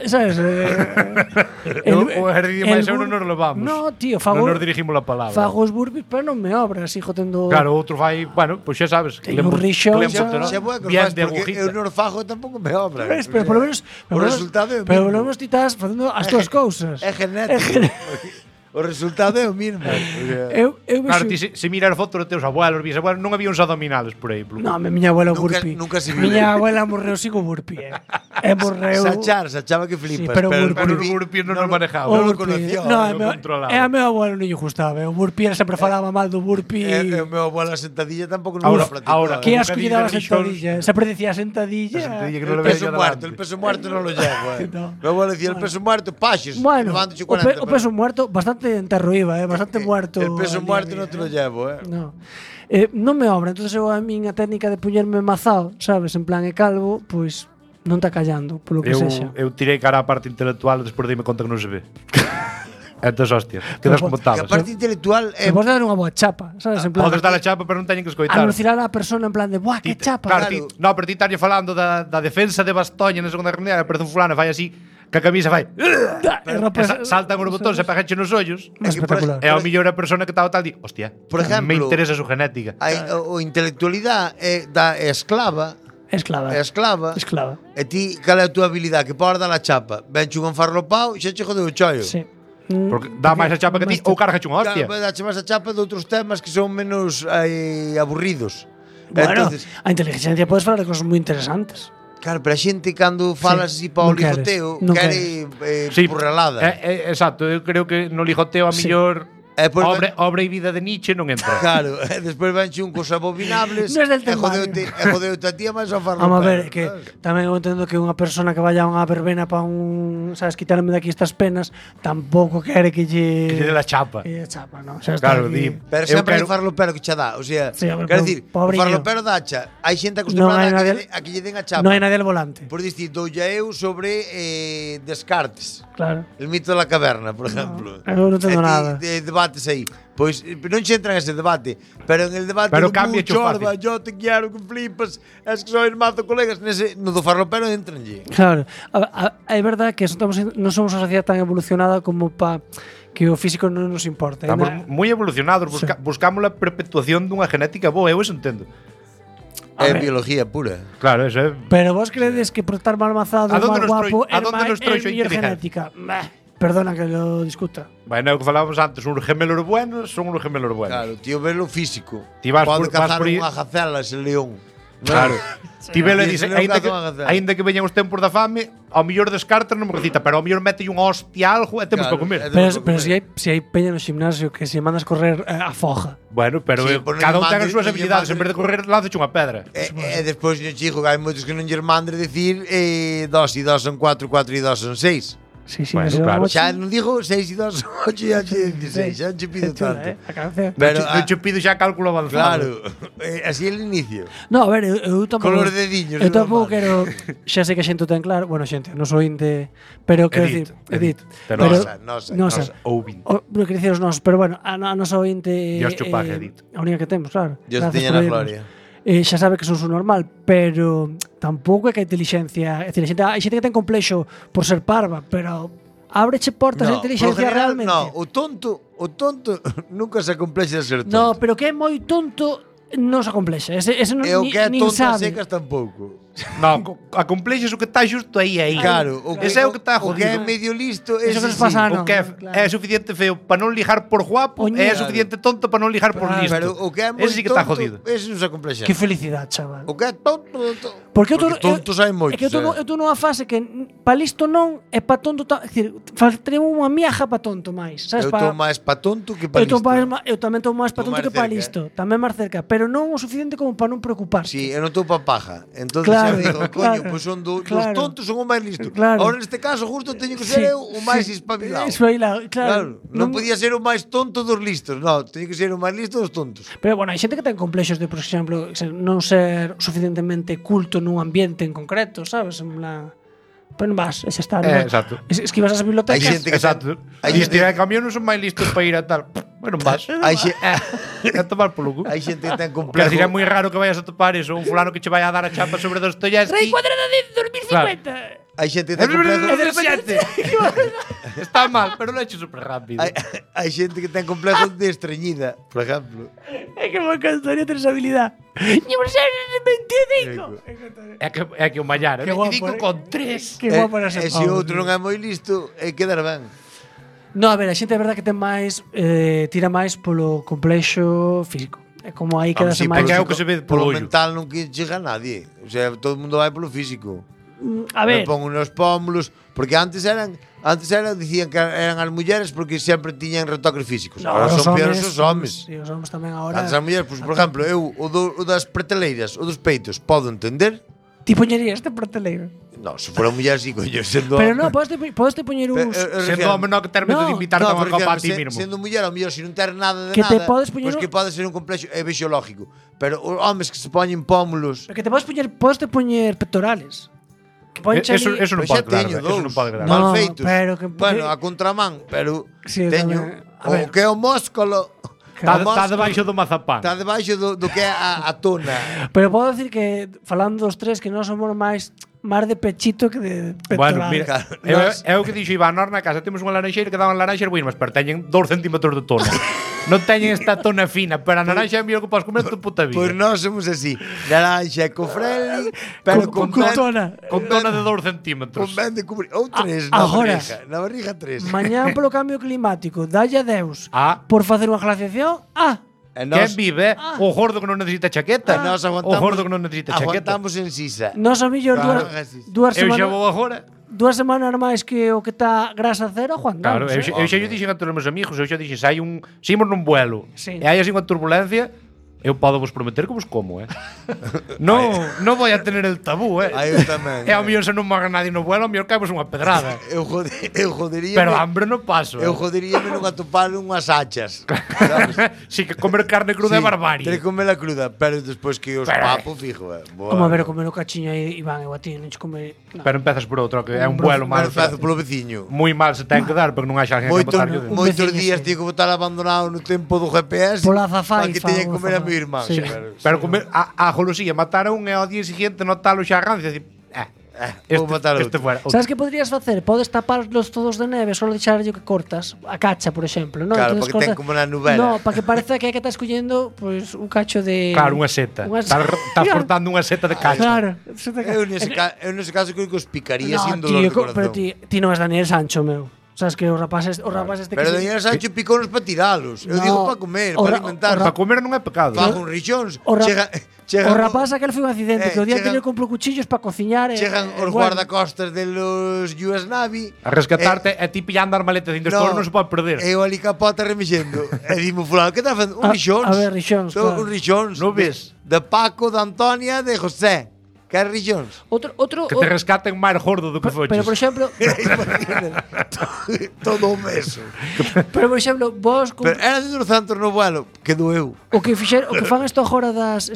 sabes?
O ejercicio máis eu non nos levamos.
No, tío, fago
Non nos dirigimos a palabra.
Fago os burpees, pero non me obra, sigo tendo.
Claro, outro fai, bueno, pois xa sabes.
Teño un rixón,
Xa vou a que
Bien
faz,
de
porque
agujita.
eu non fago tampouco me obra.
Pero polo menos
O resultado é o
Pero
mismo.
polo menos ti estás facendo as túas cousas.
É genético. O resultado é o mismo.
Eu
Claro,
vexo.
ti se mirar fotos dos teus abuelos, bisabuelos, non había uns abdominales por aí.
No, miña abuela
Nunca-
burpee.
nunca se viu.
Miña abuela morreu sin o burpee. Morreu.
Sachaba que flipas.
Sí, pero
Pero os
burpee.
burpees non nos manejaba.
O
non lo
burpee.
conoció,
No,
non controlaba.
a meu abuelo non lle gustaba. O burpee sempre falaba mal do burpee.
E o meu abuelo a sentadilla tampouco non
Ahora-
lo practicou.
ahora,
Que
como
asco lle
cadilla
daba
de
a sentadilla. Sempre decía sentadilla.
Sentadilla que non le
El
veía
peso
yo
muerto,
delante.
el peso muerto non lo llevo,
No.
Meu abuelo dicía, el peso muerto, paxes,
Bueno,
levándoche
o
40.
peso muerto bastante enterro iba, bastante muerto.
El peso
al día
muerto
a día,
non te lo llevo,
No. Non me obra, entonces eu a miña técnica de puñerme mazado, sabes, en plan e calvo, pois non está callando, polo que sexa.
Eu tirei cara á parte intelectual despois dime conta que non se ve. Entón, hostia, quedas como
Que
tabas.
a parte intelectual
E vos dar unha boa chapa, sabes, en plan.
Podes dar a chapa, pero non teñen que escoitar.
anunciar a persona en plan de, buah, que chapa.
Claro,
Claro.
no, pero ti estalle falando da defensa de Bastoña na segunda guerra mundial, aparece un fulano e fai así, que a camisa fai. Saltan os botóns e pegache nos ollos.
Espectacular.
E ao millor a persona que estaba tal di, hostia,
Por ejemplo,
me interesa su genética.
o intelectualidad é esclava,
Esclava.
esclava. E ti, cal é a túa habilidade? Que podes dar a chapa. Venche un farlopao e xa che jodeu o chollo.
Sí.
Porque dá máis a chapa que ti ou carga unha hostia.
Claro, dache máis a chapa de outros temas que son menos aburridos.
Bueno,
Entonces,
a inteligencia podes falar de cosas moi interesantes.
claro, pero a xente cando falas así para o
non queres,
lijoteo,
non
quere
Sí,
purrelada.
Exacto, eu creo que no lijoteo a
Sí.
millor
Pois
obra e vida de Nietzsche non entra.
Claro, despois venche un cos abobinables
Non é del
e
temario.
jodeute a tía máis ao farlo.
Vamos a ver, que tamén eu entendo que unha persona que vaya a unha verbena para sabes, quitarme daqui estas penas, tampouco quere que lle
Que lle dé la chapa.
Que lle chapa, non? Xa
Claro,
está aquí.
Pero
Eu
sempre hai
quero-
farlopero que che dá, o sea,
Sí, a ver,
quero dicir, o
pobriño.
farlopero dacha, hai xente
Non
acostumbrada
hai nadie-
a que lle den a chapa.
Non hai nadie al volante.
Por dicir, doulle eu sobre Descartes,
Claro.
el mito da caverna, por exemplo.
eu non entendo nada.
Debates aí. Pois non se entra en ese debate, pero en el debate
Pero
do
cambia
mucho,
fácil.
orba, yo te quiero que flipas, es que soy mazo colegas, nese, no do farlopero entranlle.
Claro, é verdade que non somos unha sociedade tan evolucionada como para que o físico non nos importa.
Estamos moi evolucionados, buscamos a perpetuación dunha genética boa, eu eso entendo.
É
ver.
biología pura.
Claro, eso é.
Pero vos credes que por estar mal mazado,
A donde
mal
nos
guapo,
a donde nos trouxo a
mellor
inteligencia?
genética? Perdona que lo discuta.
Bueno, é o que falábamos antes, uns gemelos buenos son uns gemelos buenos.
Claro, tío, velo físico.
Ti vas
Pode
por- vas
cazar
por aí-
unha gacela ese león.
Claro. Ti velo e
Sí,
dice,
se non caza unha gacela.
aínda que veñan os tempos da fame, ao mellor descartan non me recita, pero ao mellor mete unha hostia algo e temos
Claro,
que comer.
é de-
Pero si hai peña no gimnasio que se mandas correr a foja.
Bueno, pero
Sí, por non
cada un
lle
ten as
mande-
súas
non lle
habilidades,
mande-
en vez de correr, lánzache unha pedra.
E despois yo chico, que hai moitos que non lle mandre decir 2 e 2 son 4, 4 e 2 son 6.
Sí, sí,
Bueno,
ese
claro.
vamos-
Xa non digo 6 e 2 son 8 e 8 e 16, xa non che pido
Chula,
tanto.
A canción.
Pero,
non che pido xa cálculo avanzado.
claro, así é el inicio.
No, a ver, eu tampouco.
Con os dediños,
Eu
non
tampouco
mal.
quero. Xa sei que a xente o ten claro. Bueno, xente, non sou inte. Pero quero
Edith,
dicir. Edith.
Pero
nosa.
Ouvin.
Non quero dicir os nosos, pero bueno, a nosa ointe.
Dios cho pague, Edith.
A única que temos, claro.
Dios
Gracias
teña
por
na
oírnos.
gloria.
Xa sabe que son su normal, pero tampouco é que a inteligencia. É dicir, hai xente que ten complexo por ser parva, pero ábreche portas a
No,
inteligencia
por general,
realmente.
no, o tonto nunca se complexa de ser tonto.
No, pero que é moi tonto non se acomplexa. Ese non,
E o que é
nin
tonta
sabe.
secas tampouco.
Non, a complexas o que está xusto aí.
Claro,
Ese é o que está
o que é
jodido.
medio listo,
Eso
ese
que nos
sí.
pasa
O que é suficiente feo para non lijar por guapo e é suficiente tonto para non lijar por listo.
Pero o que é moi
Ese sí que está
tonto,
jodido.
ese non se acomplexa.
Que felicidade, chaval.
O que é tonto,
Porque
tontos hai moitos.
É que eu tô nunha fase que pa listo non e pa tonto, é dicir, faltaría unha miaja pa tonto máis, sabes?
Eu estou máis pa tonto que pa listo.
Eu tamén estou máis pa
Estou
tonto
máis
que pa
cerca,
listo, tamén máis cerca, pero non o suficiente como para non preocuparse.
Sí, eu non estou pa paja. Entonces
Claro,
xa digo,
claro,
coño, pois son os
claro.
tontos son o máis listo.
Claro.
Ahora neste caso justo teño que ser eu o máis espabilado.
Espabilado, claro.
Non podía ser o máis tonto dos listos, non, teño que ser o máis listo dos tontos.
Pero bueno, hai xente que ten complexos de, por exemplo, non ser suficientemente culto nun ambiente en concreto, sabes? En plan, pero non vas, ese está.
Exacto.
Es que ibas ás bibliotecas.
Hai xente que
Exacto.
Hai
E
xente-
estirar de camión non son máis listos para ir a tal. Bueno, vas.
Hai xe-
A tomar polo cu.
hai xente que ten
Porque
complejo.
así é moi raro que vayas a topar eso, un fulano que che vai a dar a chapa sobre Dostoyevsky.
Rei cuadrada de 2050.
Hai xente que ten complejo.
Está mal, pero lo he hecho súper rápido.
Hai xente que ten complejo de estreñida, por exemplo.
É que me encantaría ter esa habilidad. Llevo ser 25.
É que o Mallar,
Qué guapo,
25 con 3.
Que guapo era
E
ese
se
pavo,
outro non é moi listo, quedar ben.
No, a ver, a xente é verdad que ten máis tira máis polo complexo físico. É como aí quedase
Sí,
máis.
que é o que se ve
polo
polo ollo.
mental non que chega a nadie. O sea, todo o mundo vai polo físico.
A ver,
Me pongo nos pómulos, porque antes dicían que eran as mulleres porque sempre tiñan retoques físicos.
no,
Agora
os
son peores
homes,
os homes.
Sí, os homes tamén agora.
Antes as mulleres, pues, por exemplo, eu o das preteleiras, o dos peitos, podo entender.
Ti poñerías este prateleiro.
No, se fora muller sí, coño, sendo
Pero non, podes te poñer uns
Sendo home non que ter medo de invitarte a unha copa a ti mismo.
Sendo muller, ao mellor, se non ter nada de
Que te
nada,
podes poñer
pois que pode ser un complexo biológico. Pero os homes que se poñen pómulos,
que te podes poñer pectorales. Que ponche
Eso
ali-
non
pois xa
pode quedar,
teño
eso
dous,
non pode quedar.
No,
mal feitos.
pero que-
bueno, a contramán, pero
Sí,
teño
tamén. A ver.
o que é o músculo.
Está debaixo do mazapán.
Está debaixo do que é a tona.
Pero podo decir que falando dos tres que nós somos máis de pechito que de
Bueno,
pectoral.
mira,
Claro,
é o que dixo Iván, nós na casa temos unha laranxeira que daban laranxas buenas, pero teñen 2 centímetros de tona. Non teñen esta tona fina, pero a naranxa é o mellor que podes comer tu puta vida.
Pois nós somos así. Naranja co freli, pero
Con
ben-
tona.
Con tona de 2 centímetros.
Con ben de cubrir. Ou 3
agora.
na barriga 3.
Mañán polo cambio climático, dalle a Deus
Ah.
por facer unha glaciación.
E
Quen vive? O gordo que non necesita chaqueta.
nós
O
aguantamos.
gordo que non necesita chaqueta.
Aguantamos en sisa.
Nos a millor
Claro,
dúas
Eu xa
semanas,
vou agora.
2 semanas máis que o que está grasa cero, Juan.
Claro, eu xa lle dixen a todos os meus amigos, eu xa dixen, se hai un, se imos nun vuelo,
Sí.
e hai así unha turbulencia, eu podo vos prometer que vos como, non vou a tener el tabú,
Aí eu tamén.
E ao mellor se non morre nadie no vuelo, ao mellor caemos unha pedrada.
Eu jodería.
Pero hambre non paso.
Eu joderíame non atopar unhas hachas. Sabes?
Si que comer carne cruda é barbarie.
Ter que comela cruda, pero despois que os papo fijo,
Como a ver, comer o cachiño aí, Iván, eu a ti, non che come... No.
Pero empezas por outro, que é un vuelo
Pero
mal.
fazo polo veciño.
Moi mal se ten que dar, porque non hai xa alguén que botar que
Un
Moitos
veciño,
días
sí.
tío que botar abandonado no tempo do GPS
Pola
para
azafaifa,
que teña que
pola
comer a
azafaifa.
meu irmán.
Sí.
Pero
comer a golosilla, matar a un e ao día siguiente notalo xa rancia, así,
vou matar a
este
outro.
fuera.
Sabes que podrías facer? Podes taparlos todos de neve, solo deixarlle que cortas a cacha, por exemplo, ¿no?
Claro,
Entonces
porque ten como na novela.
No, para que pareza que estás collendo pues, un cacho de...
Claro, unha seta.
Unha
Estás
Claro.
cortando unha seta de cacho.
Claro. seta de
Eu
cacho.
nese caso creo que os picaría
No,
sin dolor de
tío,
corazón.
pero ti non és Daniel Sancho, meu. Sabes que os rapaces este
Pero
que
Daniel Sancho picounos para tiralos. Eu
No,
digo para comer,
o
para
ra-
alimentar.
Para comer non é pecado.
Fago un rixóns.
O ra-
Chega
O rapaz aquel foi un accidente, que o día
chegan-
anterior comprou cuchillos para cociñar
chegan os guardacostas de los US Navy
A rescatarte e ti pillando as maletas dentro no, non se pode perder.
Eu ali capota remexendo. E dimo fulano, que está facendo? Un rixóns.
A ver, rixóns, claro.
Un rixóns.
Non ves?
De Paco, de Antonia, de José. Que é rixóns.
Outro
Que te rescaten máis gordo do que foches.
pero por exemplo,
Todo o meso.
pero por exemplo, vos con,
Pero era de 200 no vuelo. Que doeu.
o que fan isto agora das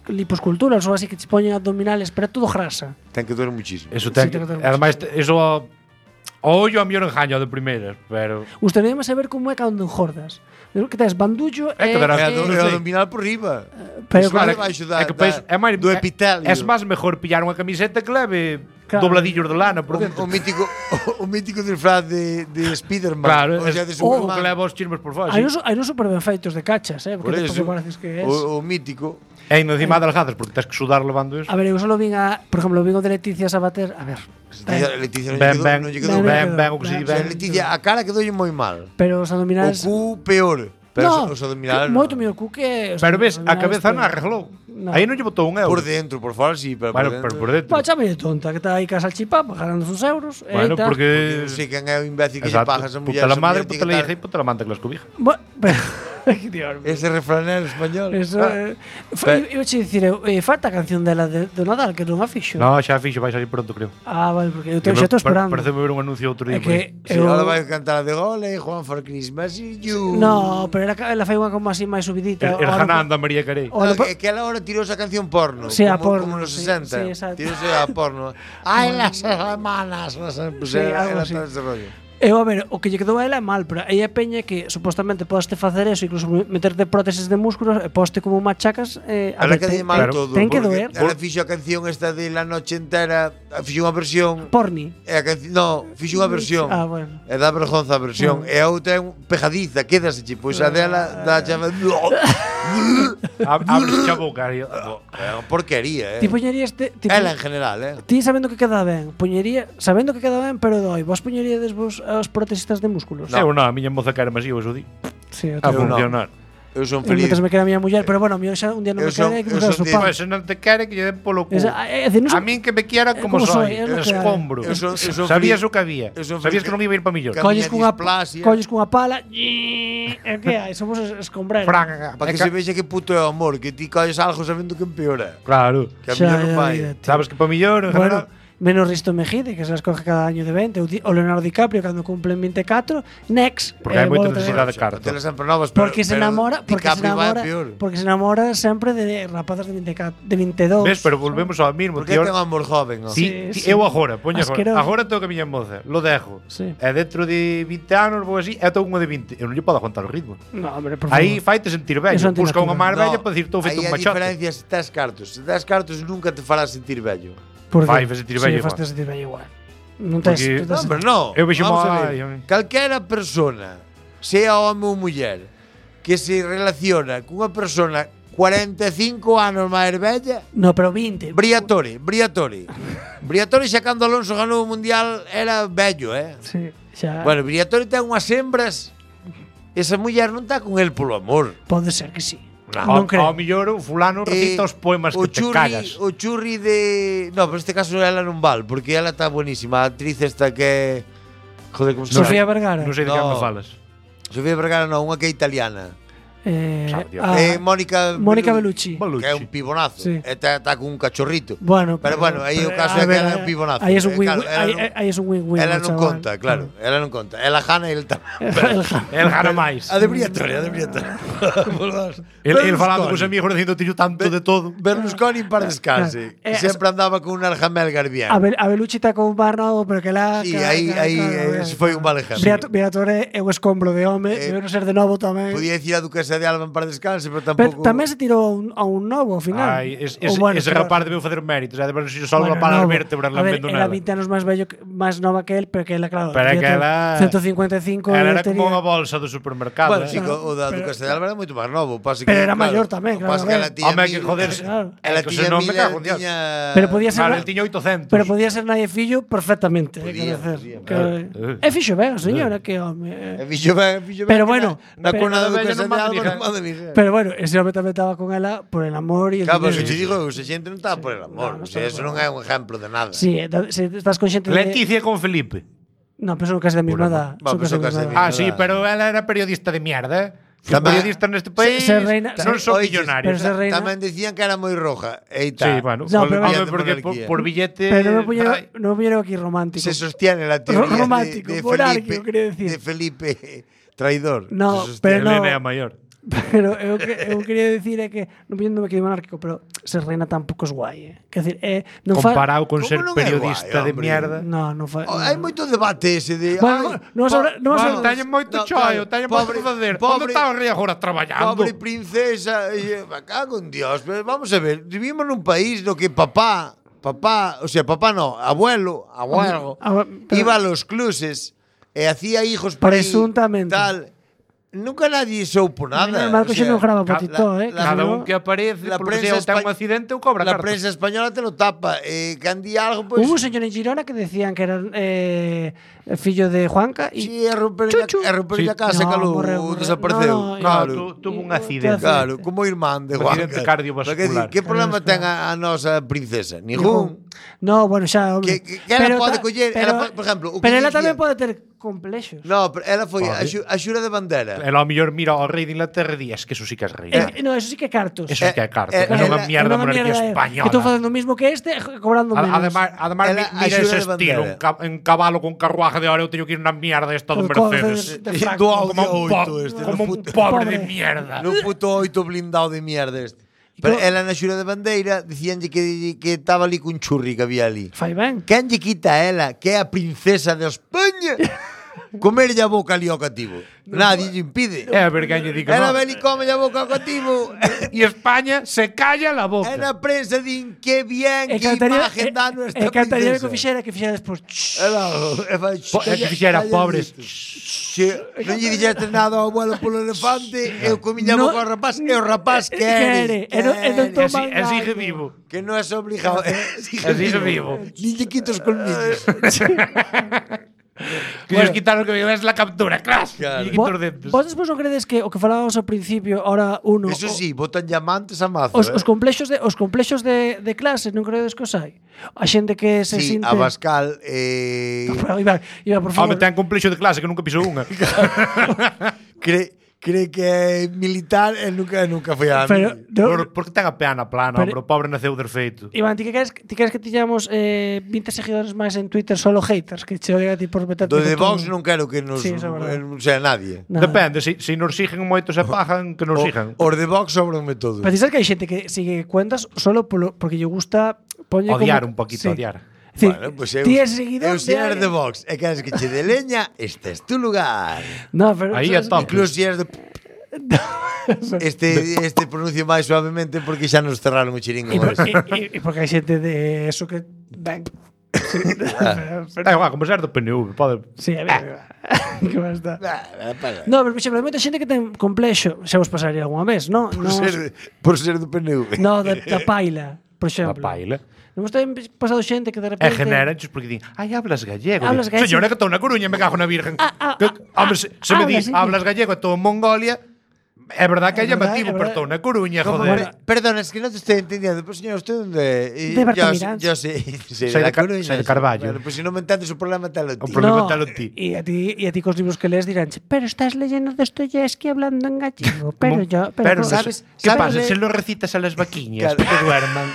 liposculturas ou así que te poñen abdominales, pero é todo grasa.
Ten que doer muchísimo.
Eso ten,
Sí, ten que ter
ademais eso o ollo a mellor engaño de primeiras, pero
Gustaríame saber como é cando engordas. Que tes bandullo
É que dará-
É
non
do
sei.
abdominal por riba.
pero
Claro,
é
baixo da-
que pois,
da-
é máis
do epitelio.
É máis mejor pillar unha camiseta que leve dobladillos de lana por dentro.
O mítico disfraz de Spiderman.
Claro,
o sea, de
o
Superman.
que leva os chismes por fora.
Hai uns super ben feitos de cachas,
Por
porque
eso,
pareces que é.
o mítico.
E encima de algadas, porque tens que sudar levando eso.
A ver, eu solo vin por exemplo, vin o de Leticia Sabater, a ver.
Leticia
Ben,
non lle quedou
ben,
ben.
o que se di
O sea,
ben.
Leticia, a cara quedoulle moi mal.
Pero os
O
abdominales
cu peor. Pero os abdominales
moito mellor cu que
Pero ves, a cabeza non arreglou.
No.
Aí non lle botou un euro.
por dentro, por fora sí, pero
Bueno,
por
pero
dentro.
por dentro.
Bueno, chame de tonta, que está aí casa salchipapa ganando uns euros.
Bueno, porque...
Non sei quen é o imbécil que lle
Exacto.
paga a esa muller.
Puta la
esa
madre,
muller
puta la
tiene
hija
que
y puta la manta que las cobija.
Dios mío.
Ese refranero español.
Eso, eu che dicir, falta a canción dela do Nadal, que non a fixo.
No, xa fixo, vai salir pronto, creo.
Ah, vale, porque eu xa estou esperando.
Parece ver un anuncio outro día.
É que
Sí, ahora vai a cantar a de Gole, Juan for Christmas y you.
No, pero ela fai unha como así máis subidita.
El Hananda María Carey.
É que ela ahora tirou esa canción porno.
Sí, a
como,
porno,
como nos
sí,
60.
sí, exacto.
Tirouse a porno. Ai, las hermanas. Pues
Sí, algo
ela
así.
está ese rollo.
Eu, a ver, o que lle quedou a ela é mal, pero aí é peña que supostamente podaste facer eso, incluso meterte prótesis de músculos e poste como machacas. A
Ela
ver,
que mal todo.
ten que
porque
doer.
Ela fixo a canción esta de La Noche Entera, fixo unha versión.
Porni.
E a canción, no, fixo unha versión.
Ah, bueno.
E dá vergonza a versión. E a outra é un pejadiza, quédase, pois a dela dá chave.
Abres xa a boca.
É unha porquería,
Ti poñerías
Ela en general,
Ti sabendo que queda ben, sabendo que queda ben, pero doi, vos poñeríades vos aos protesistas de músculos?
Eu non, a miña moza quere masivo, eso di.
Sí, eu
A
tamén.
funcionar.
Eu son
Eu
feliz.
me queda a miña muller, pero bueno, mío xa un día non me quere que me queda su pan.
Pois se non te quere que lle den polo cu.
A
min que me quiera como soy, escombro. Sabías o que había. Sabías que non iba a ir para millón.
Colles cunha pala. E que hai? Somos escombreros.
Para que se vexa que puto é o amor, que ti colles algo sabendo que empeora.
Claro.
Que a millón non vai.
Sabes que para millón, en general.
Menos Risto Mejide, que se las coge cada año de 20, o Leonardo DiCaprio cando cumplen 24, next.
Porque hai moita necesidade de carta.
Telas sempre novas,
porque se enamora, porque se enamora sempre de rapazas de 24, de 22.
Ves, pero volvemos ao mismo,
tío. Porque ten amor joven, ¿no?
Sí, eu agora, poña agora tengo que a miña moza, lo dejo.
Sí.
E dentro de 20 anos vou así, e tengo unha de 20. Eu non lle podo aguantar o ritmo.
No, hombre, por favor.
Aí faite sentir vello, busca unha máis bella para dicir estou feito un machote.
Aí a diferencia se tes cartos. Se tes cartos nunca te farás sentir vello.
Fai sentir vello igual.
Fai sentir vello igual. Non tes,
no, pero no.
Eu vexo
calquera persona, sea home ou muller, que se relaciona cunha persona 45 anos máis bella.
No, pero 20.
Briatore. Briatore xa cando Alonso ganou o Mundial era vello,
Sí, xa.
Bueno, Briatore ten unhas hembras. Esa muller non está con el polo amor.
Pode ser que sí.
Non creo. Ao mellor o fulano recita os poemas que te cagas.
O churri de... No, pero este caso ela non val, porque ela está buenísima. A actriz esta que... Joder, como se chama?
Sofía Vergara.
Non sei de que me falas.
Sofía Vergara non, unha que é italiana. Mónica
Bellucci.
Que é un pibonazo.
Sí.
Está con un cachorrito.
Bueno,
pero aí o caso é que ela é un pibonazo.
Aí é un win-win.
Ela non conta, claro. Ela non conta. Ela gana e ele tamén.
El gana máis.
A de Briatore.
El falando cos amigos dicindo tiño tanto de todo.
Berlusconi para descanse. Sempre andaba con un Arjamel Garbián.
A Bellucci está con un bar novo, pero que la...
Sí, aí foi un mal ejemplo.
Briatore é un escombro de home, debe ser de novo tamén.
Podía dicir a Duquesa de Alba para descanse, pero tampouco...
Tamén se tirou a un novo ao final.
Ese rapaz debeu facer méritos, de ver se só para as vértebras non vendo nada.
Era 20 anos máis nova que él, pero que ela, claro,
pero que ela
155.
Ela era como unha bolsa do supermercado.
Bueno, sí, o da Duquesa de Alba era moito máis novo.
Pero era maior tamén, claro.
Home, que joderse.
Ela tiña mil,
pero podía ser...
Claro, el tiña 800.
Pero podía ser nai e fillo perfectamente. É fixo ben, señora, que home.
É fixo ben.
Pero bueno,
na cona da Duquesa de Alba non manda ni ser.
Pero bueno, ese home tamén estaba con ela por el amor e el
dinero. Claro,
se
te digo, esa xente non está por el amor. Eso non é un exemplo de nada.
Sí, se estás con xente de...
Leticia con Felipe.
No, pero son casi da mesma edad.
Sí, pero ela era periodista de mierda. Os periodistas neste país non son millonarios.
Tamén decían que era moi roja.
Sí, bueno, porque por billete...
Pero non vieron aquí romántico.
Se sostiene la teoría de Felipe traidor.
No, pero no.
Elena é a maior.
Pero eu quería decir é que non pillando aquí de monárquico, pero ser reina tampouco é guai, Quer decir, non
comparado con ser periodista de mierda.
Non fa.
Hai moito debate ese de
teñen moito choio, teñen moito que facer. Onde está o rei agora traballando?
Pobre princesa, me cago en Dios, vamos a ver, vivimos nun país no que papá papá no, abuelo, iba a los clubes e hacía hijos por
presuntamente
tal. Nunca nadie soupo nada.
Marco xa non grava potito,
Cada un que aparece, polo que sea, ten un accidente ou cobra
La
cartas.
prensa española te lo tapa. Can di algo, pues...
Hubo un señor en Girona que decían que era fillo de Juanca y
Sí, a romper a casa,
No,
calou,
morreu.
desapareceu.
No, tuvo un accidente.
Claro, como irmán de
Un
Juanca.
accidente cardiovascular.
Que problema ten a nosa princesa? Ningún.
No, bueno, xa, hombre.
Que ela pode coller, por exemplo, o que
pero ela
dicía-
tamén pode ter complexos.
No, pero ela foi a xura de bandera.
Ela ao mellor mira ao rei de Inglaterra e di, es que eso sí que é rei.
No, eso sí que é cartos.
Eso sí que é carta. É
ela-
unha mierda
Era unha
monarquía
mierda,
española.
Que estou facendo o mismo que este, cobrando menos.
Además
Ela
mira
axuda
ese
de
estilo,
bandera.
en cabalo con carruaje de ahora eu teño que ir na mierda esta do
Con
Mercedes.
de Franco.
Do Audi
Como un
8
como un
puto-
pobre
Pobre.
de mierda.
No puto 8 blindado de mierda este. Pero ela na xura de bandeira dicíanlle que estaba ali cun churri que había ali.
Fai ben.
Quen lle quita a ela, que é a princesa de España, comerlle a boca ali ao cativo? Nadie lle impide.
É a ver quen lle di que
Ela
non.
ven e come ao boca ao cativo.
E España se calla la
E
boca.
na prensa din que bien,
E
que
cantaría
imagen dá nuestra
cantaría que
princesa.
fixera despois.
É que fixera pobres.
Non lle dixeste nada ao abuelo polo elefante, eu comiña
No.
boca ao rapaz, e o rapaz quere.
E non toma
E sigue vivo.
Que non é obligado.
Sigue vivo.
Nin lle quito os colmillos.
Que ellos quitaron que me ves la captura, crash.
Claro.
Y quito os dentes.
Vos despois non credes que o que falábamos ao principio, ahora uno
Eso sí, botan diamantes a mazo.
os complexos de clase, non credes que os hai? A xente que se
Sí,
sinte
a Bascal
Iba, por favor.
Home, ten complexo de clase que nunca pisou unha.
cree que é militar e nunca foi a
Pero,
mí.
Porque ten a peana plana,
Pero-
o pobre naceu defeito.
Iván, ti queres que tiñamos 20 seguidores máis en Twitter solo haters, que che odian a ti por meterte
Do de
con
Vox
todo?
non quero que nos
Sí, eso é verdad.
non sea nadie.
Nada.
Depende, se nos siguen moito se pajan, que nos sigan.
Os de Vox sobranme todos.
Pero ti sabes que hai xente que sigue cuentas solo porque lle gusta poñer
Odiar
como,
un poquito,
sí.
odiar.
Sí,
Bueno, pues eu,
ti és seguidor
eu se eres de
alguén.
Vox e queres que che de leña, este es tu lugar.
No, pero
Aí é
sabes
top.
Incluso se eres de este pronuncio máis suavemente porque xa nos cerraron o chiringo.
E porque hai xente de eso que ben. Sí,
É igual, como ser do PNV, pode.
sí, a ver. Que va a estar. No, pero por exemplo, hai moita xente que ten complexo, xa vos pasaría algunha vez, no?
Por ser do PNV.
No, da paila, por
A
exemplo.
paila.
Non vos ten pasado xente que de
E
repente
generanchos porque din, ai, hablas gallego.
Hablas
Digo,
gallego.
Señora, que estou na Coruña, me cago na virgen. Home, se me
hablas,
dis,
sí.
hablas gallego, estou en Mongolia, é verdad que é
É verdad,
llamativo,
é
pero
verdad.
estou na Coruña,
Como,
joder.
Perdón, es que no te estoy entendiendo. Pues señor, ¿usted dónde?
De Bertamiráns.
Yo sé,
Soy de Coruña, soy de Carballo.
Bueno, pues si no me entiendes su problema, te lo
O
tío.
problema talo ti.
E a ti cos libros que lees dirán, pero estás leyendo Dostoyevsky hablando en gallego. Pero yo,
Pero,
¿sabes?
¿qué
¿sabes
pasa?
leer?
Se lo recitas a las vaquiñas,
Claro.
que duerman.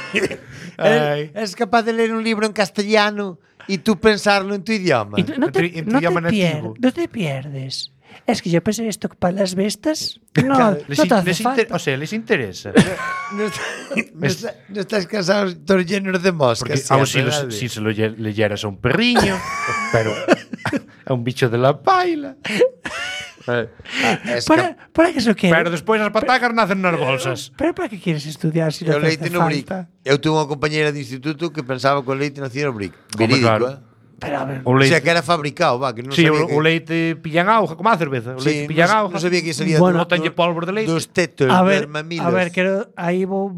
Ay.
¿Eres capaz de leer un libro en castellano y tú pensarlo en tu idioma?
Y no te,
En tu
no te
idioma nativo.
no te pierdes. Es que yo pensé esto para las bestas. No,
Claro,
no te hace falta.
O sea, les interesa.
No estás cansado, todos llenos de
Porque
moscas.
aún
siempre,
si se lo leyeras a un perriño, pero a un bicho de la paila.
Es que
¿Para qué eso quieres?
Pero despois as patacas nacen nas bolsas.
¿Pero para qué quieres estudiar si no
o
te
leite
hace
no brick.
falta?
Eu tuve unha compañera de instituto que pensaba que o leite nacía no brick.
Home,
Verídico,
claro.
Pero a ver,
O
O
leite,
sea, que era fabricado, va, que non
sí,
sabía
o leite pillan auga, como a cerveza. O leite
Sí,
pillan
non,
auga.
non sabía que salía
Bueno,
botanlle polvo de leite.
dos tetos,
a
dos
ver,
mamilos.
aí vou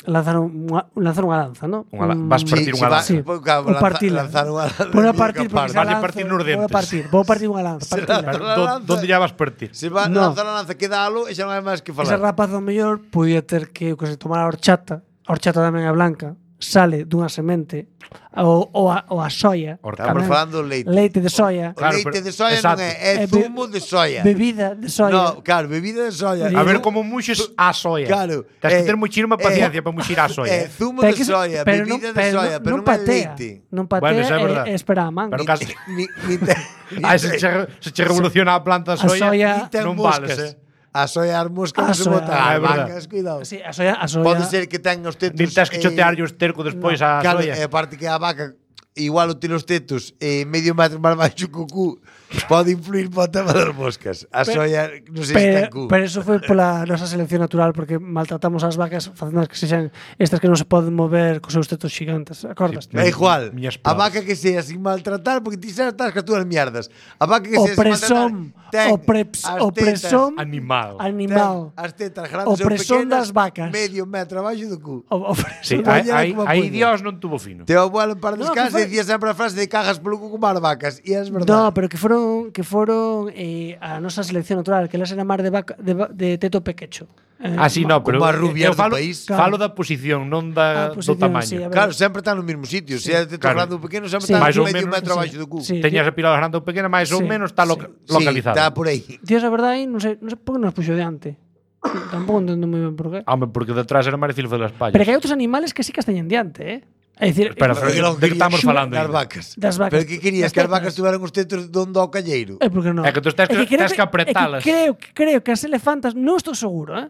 lanzar unha lanza, ¿no?
Vas partir unha lanza.
Sí,
Pues, claro,
vou partir
lanzar unha lanza.
Vou a partir porque
Vas
esa
a partir nos
lanza-
dentes.
Vou partir unha lanza,
Se
partila.
lanza la lanza.
Donde ya vas partir?
Se va
No.
lanzar a lanza, quedalo e xa non hai máis que
Ese
falar.
rapaz ao mellor podía ter que se tomar a horchata tamén é blanca, sale dunha semente ou a soia.
Hortata.
Estamos
tamén.
falando do leite.
Leite de soia.
O
Claro,
leite
pero-
de soia
exacto.
non é zumo de soia.
Bebida de soia.
No, claro, bebida de soia.
A ver como muxes a soia.
Claro.
Tens que ter muchísima paciencia para muxir a soia.
Zumo
Pero
de
que se-
soia,
pero
bebida de
pero
soia, pero non é
patea.
leite.
Non patea
Bueno, eso é verdad.
e espera a man.
Pero casi-
Ni te,
Ah, se che revoluciona a planta
A
soia,
soia
ni ten
non
moscas.
vales,
A soia as moscas
A
non se
soia,
botan.
é
As
verdad.
vacas, cuidado.
Sí, a soia
Pode ser que ten os tetos.
Nin tens que chotearlle o esterco despois a
Claro,
soia.
e aparte que a vaca igual o ter os tetos medio metro máis baixo que o cu pode influir para o tema das moscas. A soia, non sei se ten cu.
Pero eso foi pola nosa selección natural, porque maltratamos as vacas facendo que sexan estas que non se poden mover cos seus tetos gigantes, acordas?
É igual, a vaca que sea sin maltratar, porque ti xa estás cas túas mierdas. A vaca que sea sin maltratar,
opresón
animal.
As tetas grandes
opresón das vacas.
Medio metro abaixo do cu.
Sí, aí Dios non tuvo fino.
Teu abuelo para descanso dicía sempre a frase de cagas polo cu como as vacas, e é verdade.
No, pero que foron a nosa selección natural, que elas eran máis de teto pequecho.
Así no, pero
como as rubias do país.
Falo da posición, non do tamaño.
Sí,
claro, sempre están no mesmo sitio. Se é de teto grande ou pequeno, sempre están medio metro abaixo do cu.
Teñas a pilada grande ou pequena, máis ou menos está localizada.
Sí, está por aí.
Dios, a verdade, non sei por que nos puxo diante. Tampouco entendo moi ben por qué.
Home, porque detrás era máis difícil de las pallas.
Pero que hai outros animales que sí que as teñen diante, É dicir,
pero de que estamos falando?
Das vacas.
Das vacas.
Pero que querías que as vacas tuveran os tetos donde ao calleiro?
É porque non.
É que tú tens que apretalas.
Creo que as elefantas, non estou seguro,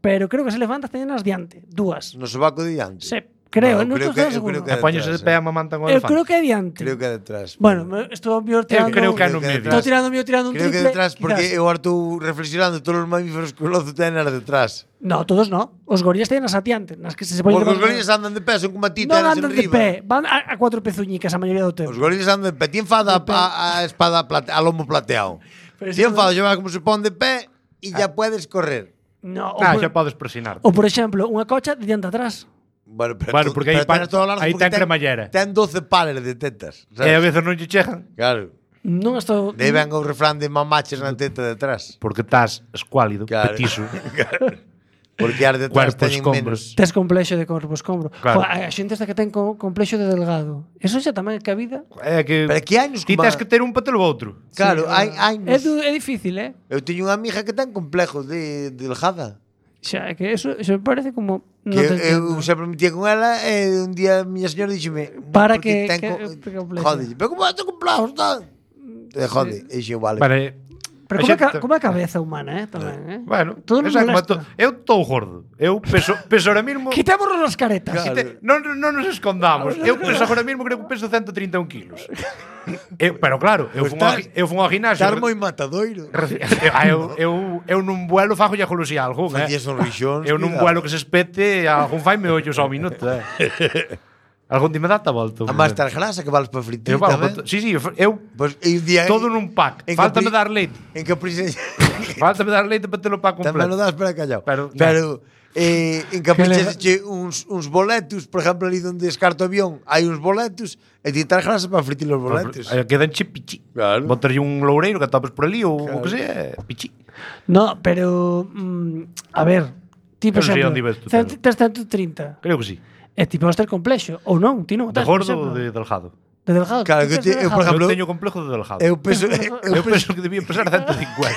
pero creo que as elefantas teñen as diante, dúas.
No sobaco de diante?
Sí. Creo, non estou seguro.
Apaños de pé a mamantan o elefante.
Eu creo que é diante.
Creo que é detrás.
Bueno, estou tirando.
Eu creo que é no medio.
Estou tirando un triple.
Creo que é detrás porque eu estou reflexionando todos os mamíferos que o lozo ten as detrás.
No, todos no. Os gorillas teñen as atiante, nas que se poñen.
Porque os gorillas andan de pé, son como a ti,
tenes en riba. Non andan de pé, van a cuatro pezuñicas a maioría do tempo.
Os gorillas andan de pé, ti enfada a espada a lomo plateado. Ti enfada llevar como se pon de pé e ya puedes correr.
No, xa podes presionar.
Ou por exemplo, unha cocha de diante atrás.
Bueno,
porque aí ten cremallera.
Ten 12 pares de tetas.
E a veces non lle chegan.
Claro.
Non estou.
Dei ben o refrán de mamaches na teta detrás.
Porque estás escuálido, petiso.
Porque as detrás teñen menos.
Tes complexo de corpo escombro.
Claro.
A xente esta que ten complexo de delgado. Eso xa tamén é que a vida.
É que
pero que hai nos
ti tens que ter un patelo outro.
Claro, hai
é difícil,
Eu teño unha amiga que ten complejo de delgada.
Xa, é que eso me parece como
que eu sempre me metía con ela e un día a miña señora díxeme
para que
jode, pero como te complejos tal? Jode, e xe vale.
Pero como é a cabeza humana, tamén,
Bueno,
todo nos molesta.
Eu estou gordo. Eu peso ahora mismo.
Quitémonos as caretas.
Non nos escondamos. Eu peso agora mismo, creo que peso 131 kilos. Pero claro, eu fun ao ginasio.
Estar moi matadoiro.
Eu nun vuelo fago lle golosi algo,
Facías un rixón.
Eu nun vuelo que se espete, algún faime ollos ao minuto, Algún día me data a volta.
A máis tal grasa que vales para fritir tamén.
Sí, eu todo nun pack. Faltame dar leite.
En que prisa...
Faltame dar leite para telo pack completo.
Tamén lo das para callao. Pero en Caprichas uns boletos, por exemplo, ali onde descarto o avión, hai uns boletos e ti tal grasa para fritir os boletos.
Quedan pichi.
Claro.
Botarlle un loureiro que atopes por ali ou o que sea, pichi.
No, pero a ver, tipo exemplo, tes 130.
Creo que sí.
E ti podes ter complexo ou non, ti non.
De gordo ou de delgado?
De delgado.
Claro, que eu, por exemplo,
eu teño complejo de delgado.
Eu penso
que debía pesar 150.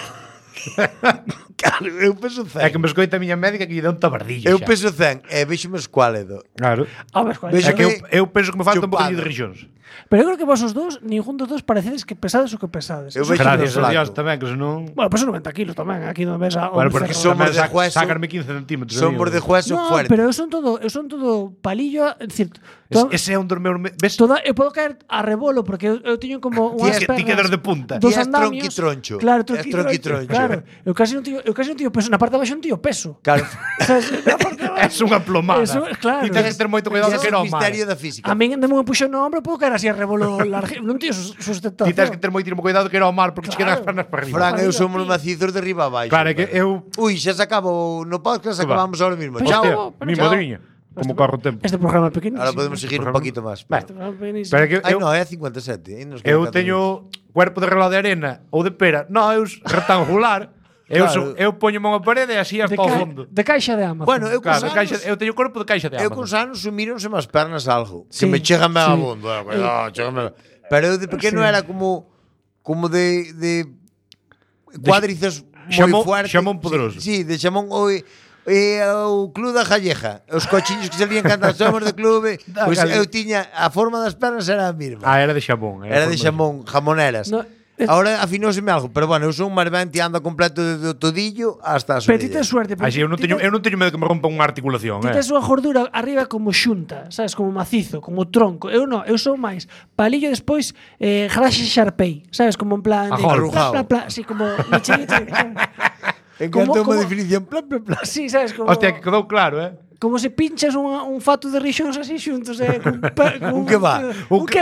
Claro, eu peso 100.
É que me escoita a miña médica que lle dá un tabardillo.
Eu peso 100 e vexo-me escuálido.
Claro. É que eu penso que me falta un poquinho de rixóns.
Pero eu creo que vos os dous, ningún dos dos parecedes que pesades o que pesades.
Eu
gracias a Dios tamén, que senón...
Bueno, peso 90 kilos tamén, aquí non ves a...
Bueno, porque somos de hueso... Sácarme 15 centímetros.
Somos de hueso fuerte.
Pero eu son todo palillo, é dicir...
Ese é un dos meus...
Ves? Eu podo caer a rebolo, porque eu teño como unhas pernas...
Ti quedas de punta.
Dos andamios.
Tronquitroncho.
Claro, tronquitroncho. Claro, eu casi non tío peso. Na parte de baixo non tío peso.
Claro.
É unha plomada.
Claro.
E tens que ter moito cuidado que non mal.
Misterio da física.
A min deme un puxón no ombro, podo caer así a rebolo largo. Non tío sustentación.
Ti tens que ter moito cuidado que era o mar, porque te quedan as pernas para arriba.
Fran, eu somos macizos de arriba a baixo.
Claro, é que eu...
Ui, xa se acabou no podcast, acabamos ahora mismo.
Chao. Mi madriña. Como corro o tempo.
Este programa é pequeno.
Ahora podemos seguir un poquito máis.
Pero que
eu... no, é 57.
Eu teño cuerpo de reloj de arena ou de pera. Non, eu rectangular. Eu poñome unha parede e así hasta ao fondo.
De caixa de Amazon.
Bueno, eu
teño corpo de caixa de Amazon.
Eu con anos sumironse máis pernas algo. Que me chegan ben a bondo. Pero eu de pequeno era como de cuádriceps moi fuertes.
Xamón poderoso.
Sí, de xamón o club da Jalleja. Os cochiños que salían cantando somos de clube. Pois eu tiña a forma das pernas era a mesma.
Era de xamón.
Era de xamón, jamoneras. Ahora afinóseme algo, pero bueno, eu son un marvente e ando completo do todillo hasta as
Pero ti
orellas.
tes suerte.
Así, eu non teño medo que me rompa unha articulación,
Ti tes unha gordura arriba como xunta, sabes, como macizo, como tronco. Eu non, eu sou máis palillo despois graxe Sharpei, sabes, como en plan
Arrujado.
así como leche.
Encanta unha definición plan.
Sí, sabes, como
Hostia, que quedou claro,
como se pinchas un fato de rixóns así xuntos,
Un kebab.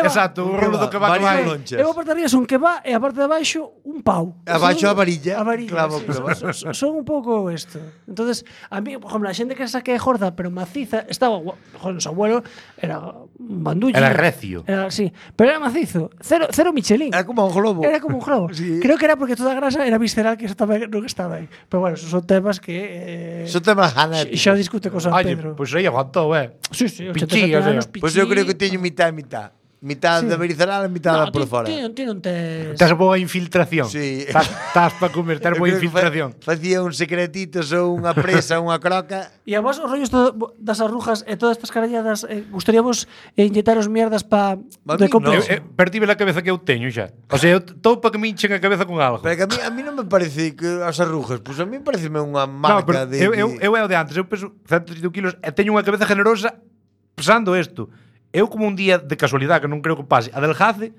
Exacto, un rolo do que va que vai.
Eu a parte de arriba son kebab e a parte de abaixo un pau.
Abaixo a varilla.
A varilla,
Clavo,
sí,
clavo.
son un pouco isto. Entonces, a mí, por exemplo, a xente que saque gorda pero maciza, estaba, joder, su abuelo era un bandullo.
Era recio.
Era, sí, pero era macizo. Cero Michelin.
Era como un globo.
Era como un globo.
Sí.
Creo que era porque toda a grasa era visceral que estaba, no que estaba aí. Pero bueno, esos son temas que
Son temas genéticos.
xa discute con San
Oye,
Pedro.
pois aí aguantou,
Sí, 87
Pichí, o sea.
anos,
Pois eu creo que
pichí.
teño mitad e mitad. Mitad da berizaral e mitad da por fora.
Ti non tes...
Tás boa infiltración.
Sí.
Tás para comer, tás
Eu
boa
creo que
infiltración.
Facía un secretitos ou unha presa, unha croca.
E a vos os rollos das arrugas e todas estas caralladas gustaríamos inyectaros mierdas pa
A
de
mí
complexo?
Pertíbe a cabeza que eu teño xa. O sea, eu estou para que me hinchen a cabeza con algo.
Pero que a mí non me parece que as arrugas, pois a mí pareceme unha
No,
marca
pero eu é o de antes, eu peso 131 kilos e teño unha cabeza generosa pesando isto. Eu como un día de casualidade que non creo que pase, adelgace,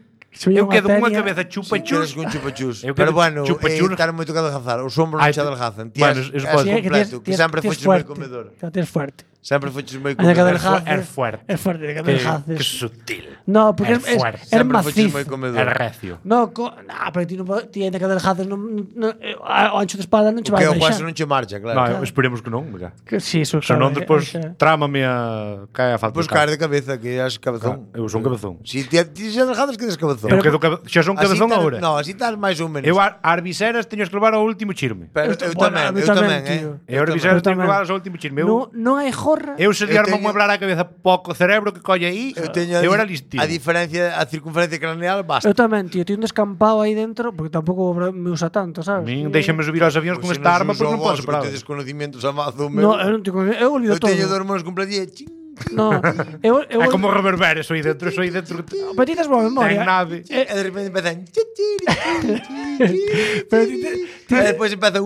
eu quedo unha cabeza chupachus.
con chupachus.
Eu
Pero
quedo
bueno,
chupachus.
estar moito que adelgazar. Os ombros non se adelgazan.
Bueno, eso pode
é completo, que sempre foches moi comedor.
Tienes fuerte.
Sempre foches moi
Anda que
comedor.
adelgaces.
É fuerte.
É fuerte, que
Que
adelgaces.
sutil.
No, porque
É fuerte.
es
Sempre foches
macizo.
moi
É
comedor.
recio.
No, pero ti non ti ainda que adelgaces o ancho de espalda non che
O
vai
que o
baixar.
hueso non che marcha, claro.
No, esperemos que non, mira.
Que sí, eso
Se non,
claro,
despois
xa.
trámame a cae a falta.
Pois caer de cabeza, que és cabezón.
Eu son cabezón.
Si ti xa adelgazas, quedes cabezón.
Eu quedo xa son cabezón
Así
agora.
No, así estás máis ou menos.
Eu as viseras teño que levar ao último chirme.
Pero eu tamén,
tío.
Eu as viseras teño que levar ao último chirme.
Non hai jorra.
Eu se diarme a mueblar a cabeza pouco cerebro que colle aí, eu era listín.
A diferencia, a circunferencia craneal basta.
Eu tamén, tío, ti un descampado aí dentro, porque tampouco me usa tanto, sabes?
Min déixame subir aos avións con esta arma porque non posso parar.
Tedes conocimientos a mazo,
No, eu non teño, eu olvido
eu
todo.
teño dormos completamente.
No, eu
É como reverberes, soy dentro.
Pero ti tes boa memoria.
Ten nave.
E de repente empezan.
Pero
E despois empeza.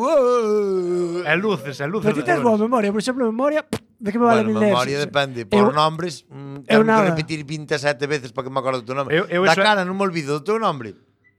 É luces.
Pero ti tes boa memoria, por exemplo, memoria, de que me vale
Bueno,
mil
memoria
neves?
depende. Por nombres,
eu
tengo que
nada.
repetir 27 veces para que me acordo do teu nome.
Eu
Da
eso-
cara, non me olvido do teu nome.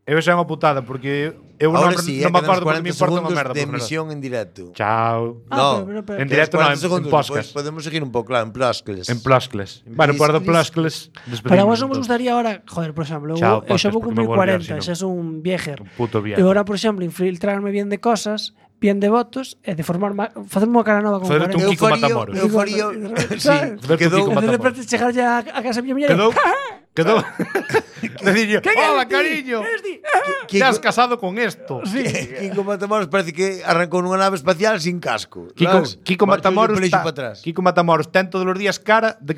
Eu xa é unha putada porque eu
Ahora
non
sí,
me
quedan
acordo
40
porque me importa unha
segundos
merda.
de
por verdad.
emisión en directo.
Chao.
Ah,
No,
pero-
En directo non,
40
en
segundos,
podcast.
despois podemos seguir un pouco, claro, en plascles.
En plascles. Bueno, por do plascles
Para vos non vos gustaría ahora, joder, por exemplo,
Chao,
eu xa vou
podcast,
cumprir
porque me vou olvidar,
40,
si
xa son un viejer.
Un puto viejo.
E agora, por exemplo, infiltrarme bien de cosas, bien de votos, e de formar facerme unha cara nova con
Faderte
40.
un Kiko Matamoros.
Eu faría, sí,
Verte
quedou,
Kiko
E de
Matamoros.
repente chegar ya a casa miña muller.
Quedou. Decirle, hola, cariño.
Kiko-
Ya has casado con esto.
Kiko Matamoros parece que arrancou nunha nave espacial sin casco.
Kiko
sabes?
Matamoros
Marchoulle o pelexo
está-
para atrás.
Kiko Matamoros ten todos os días cara de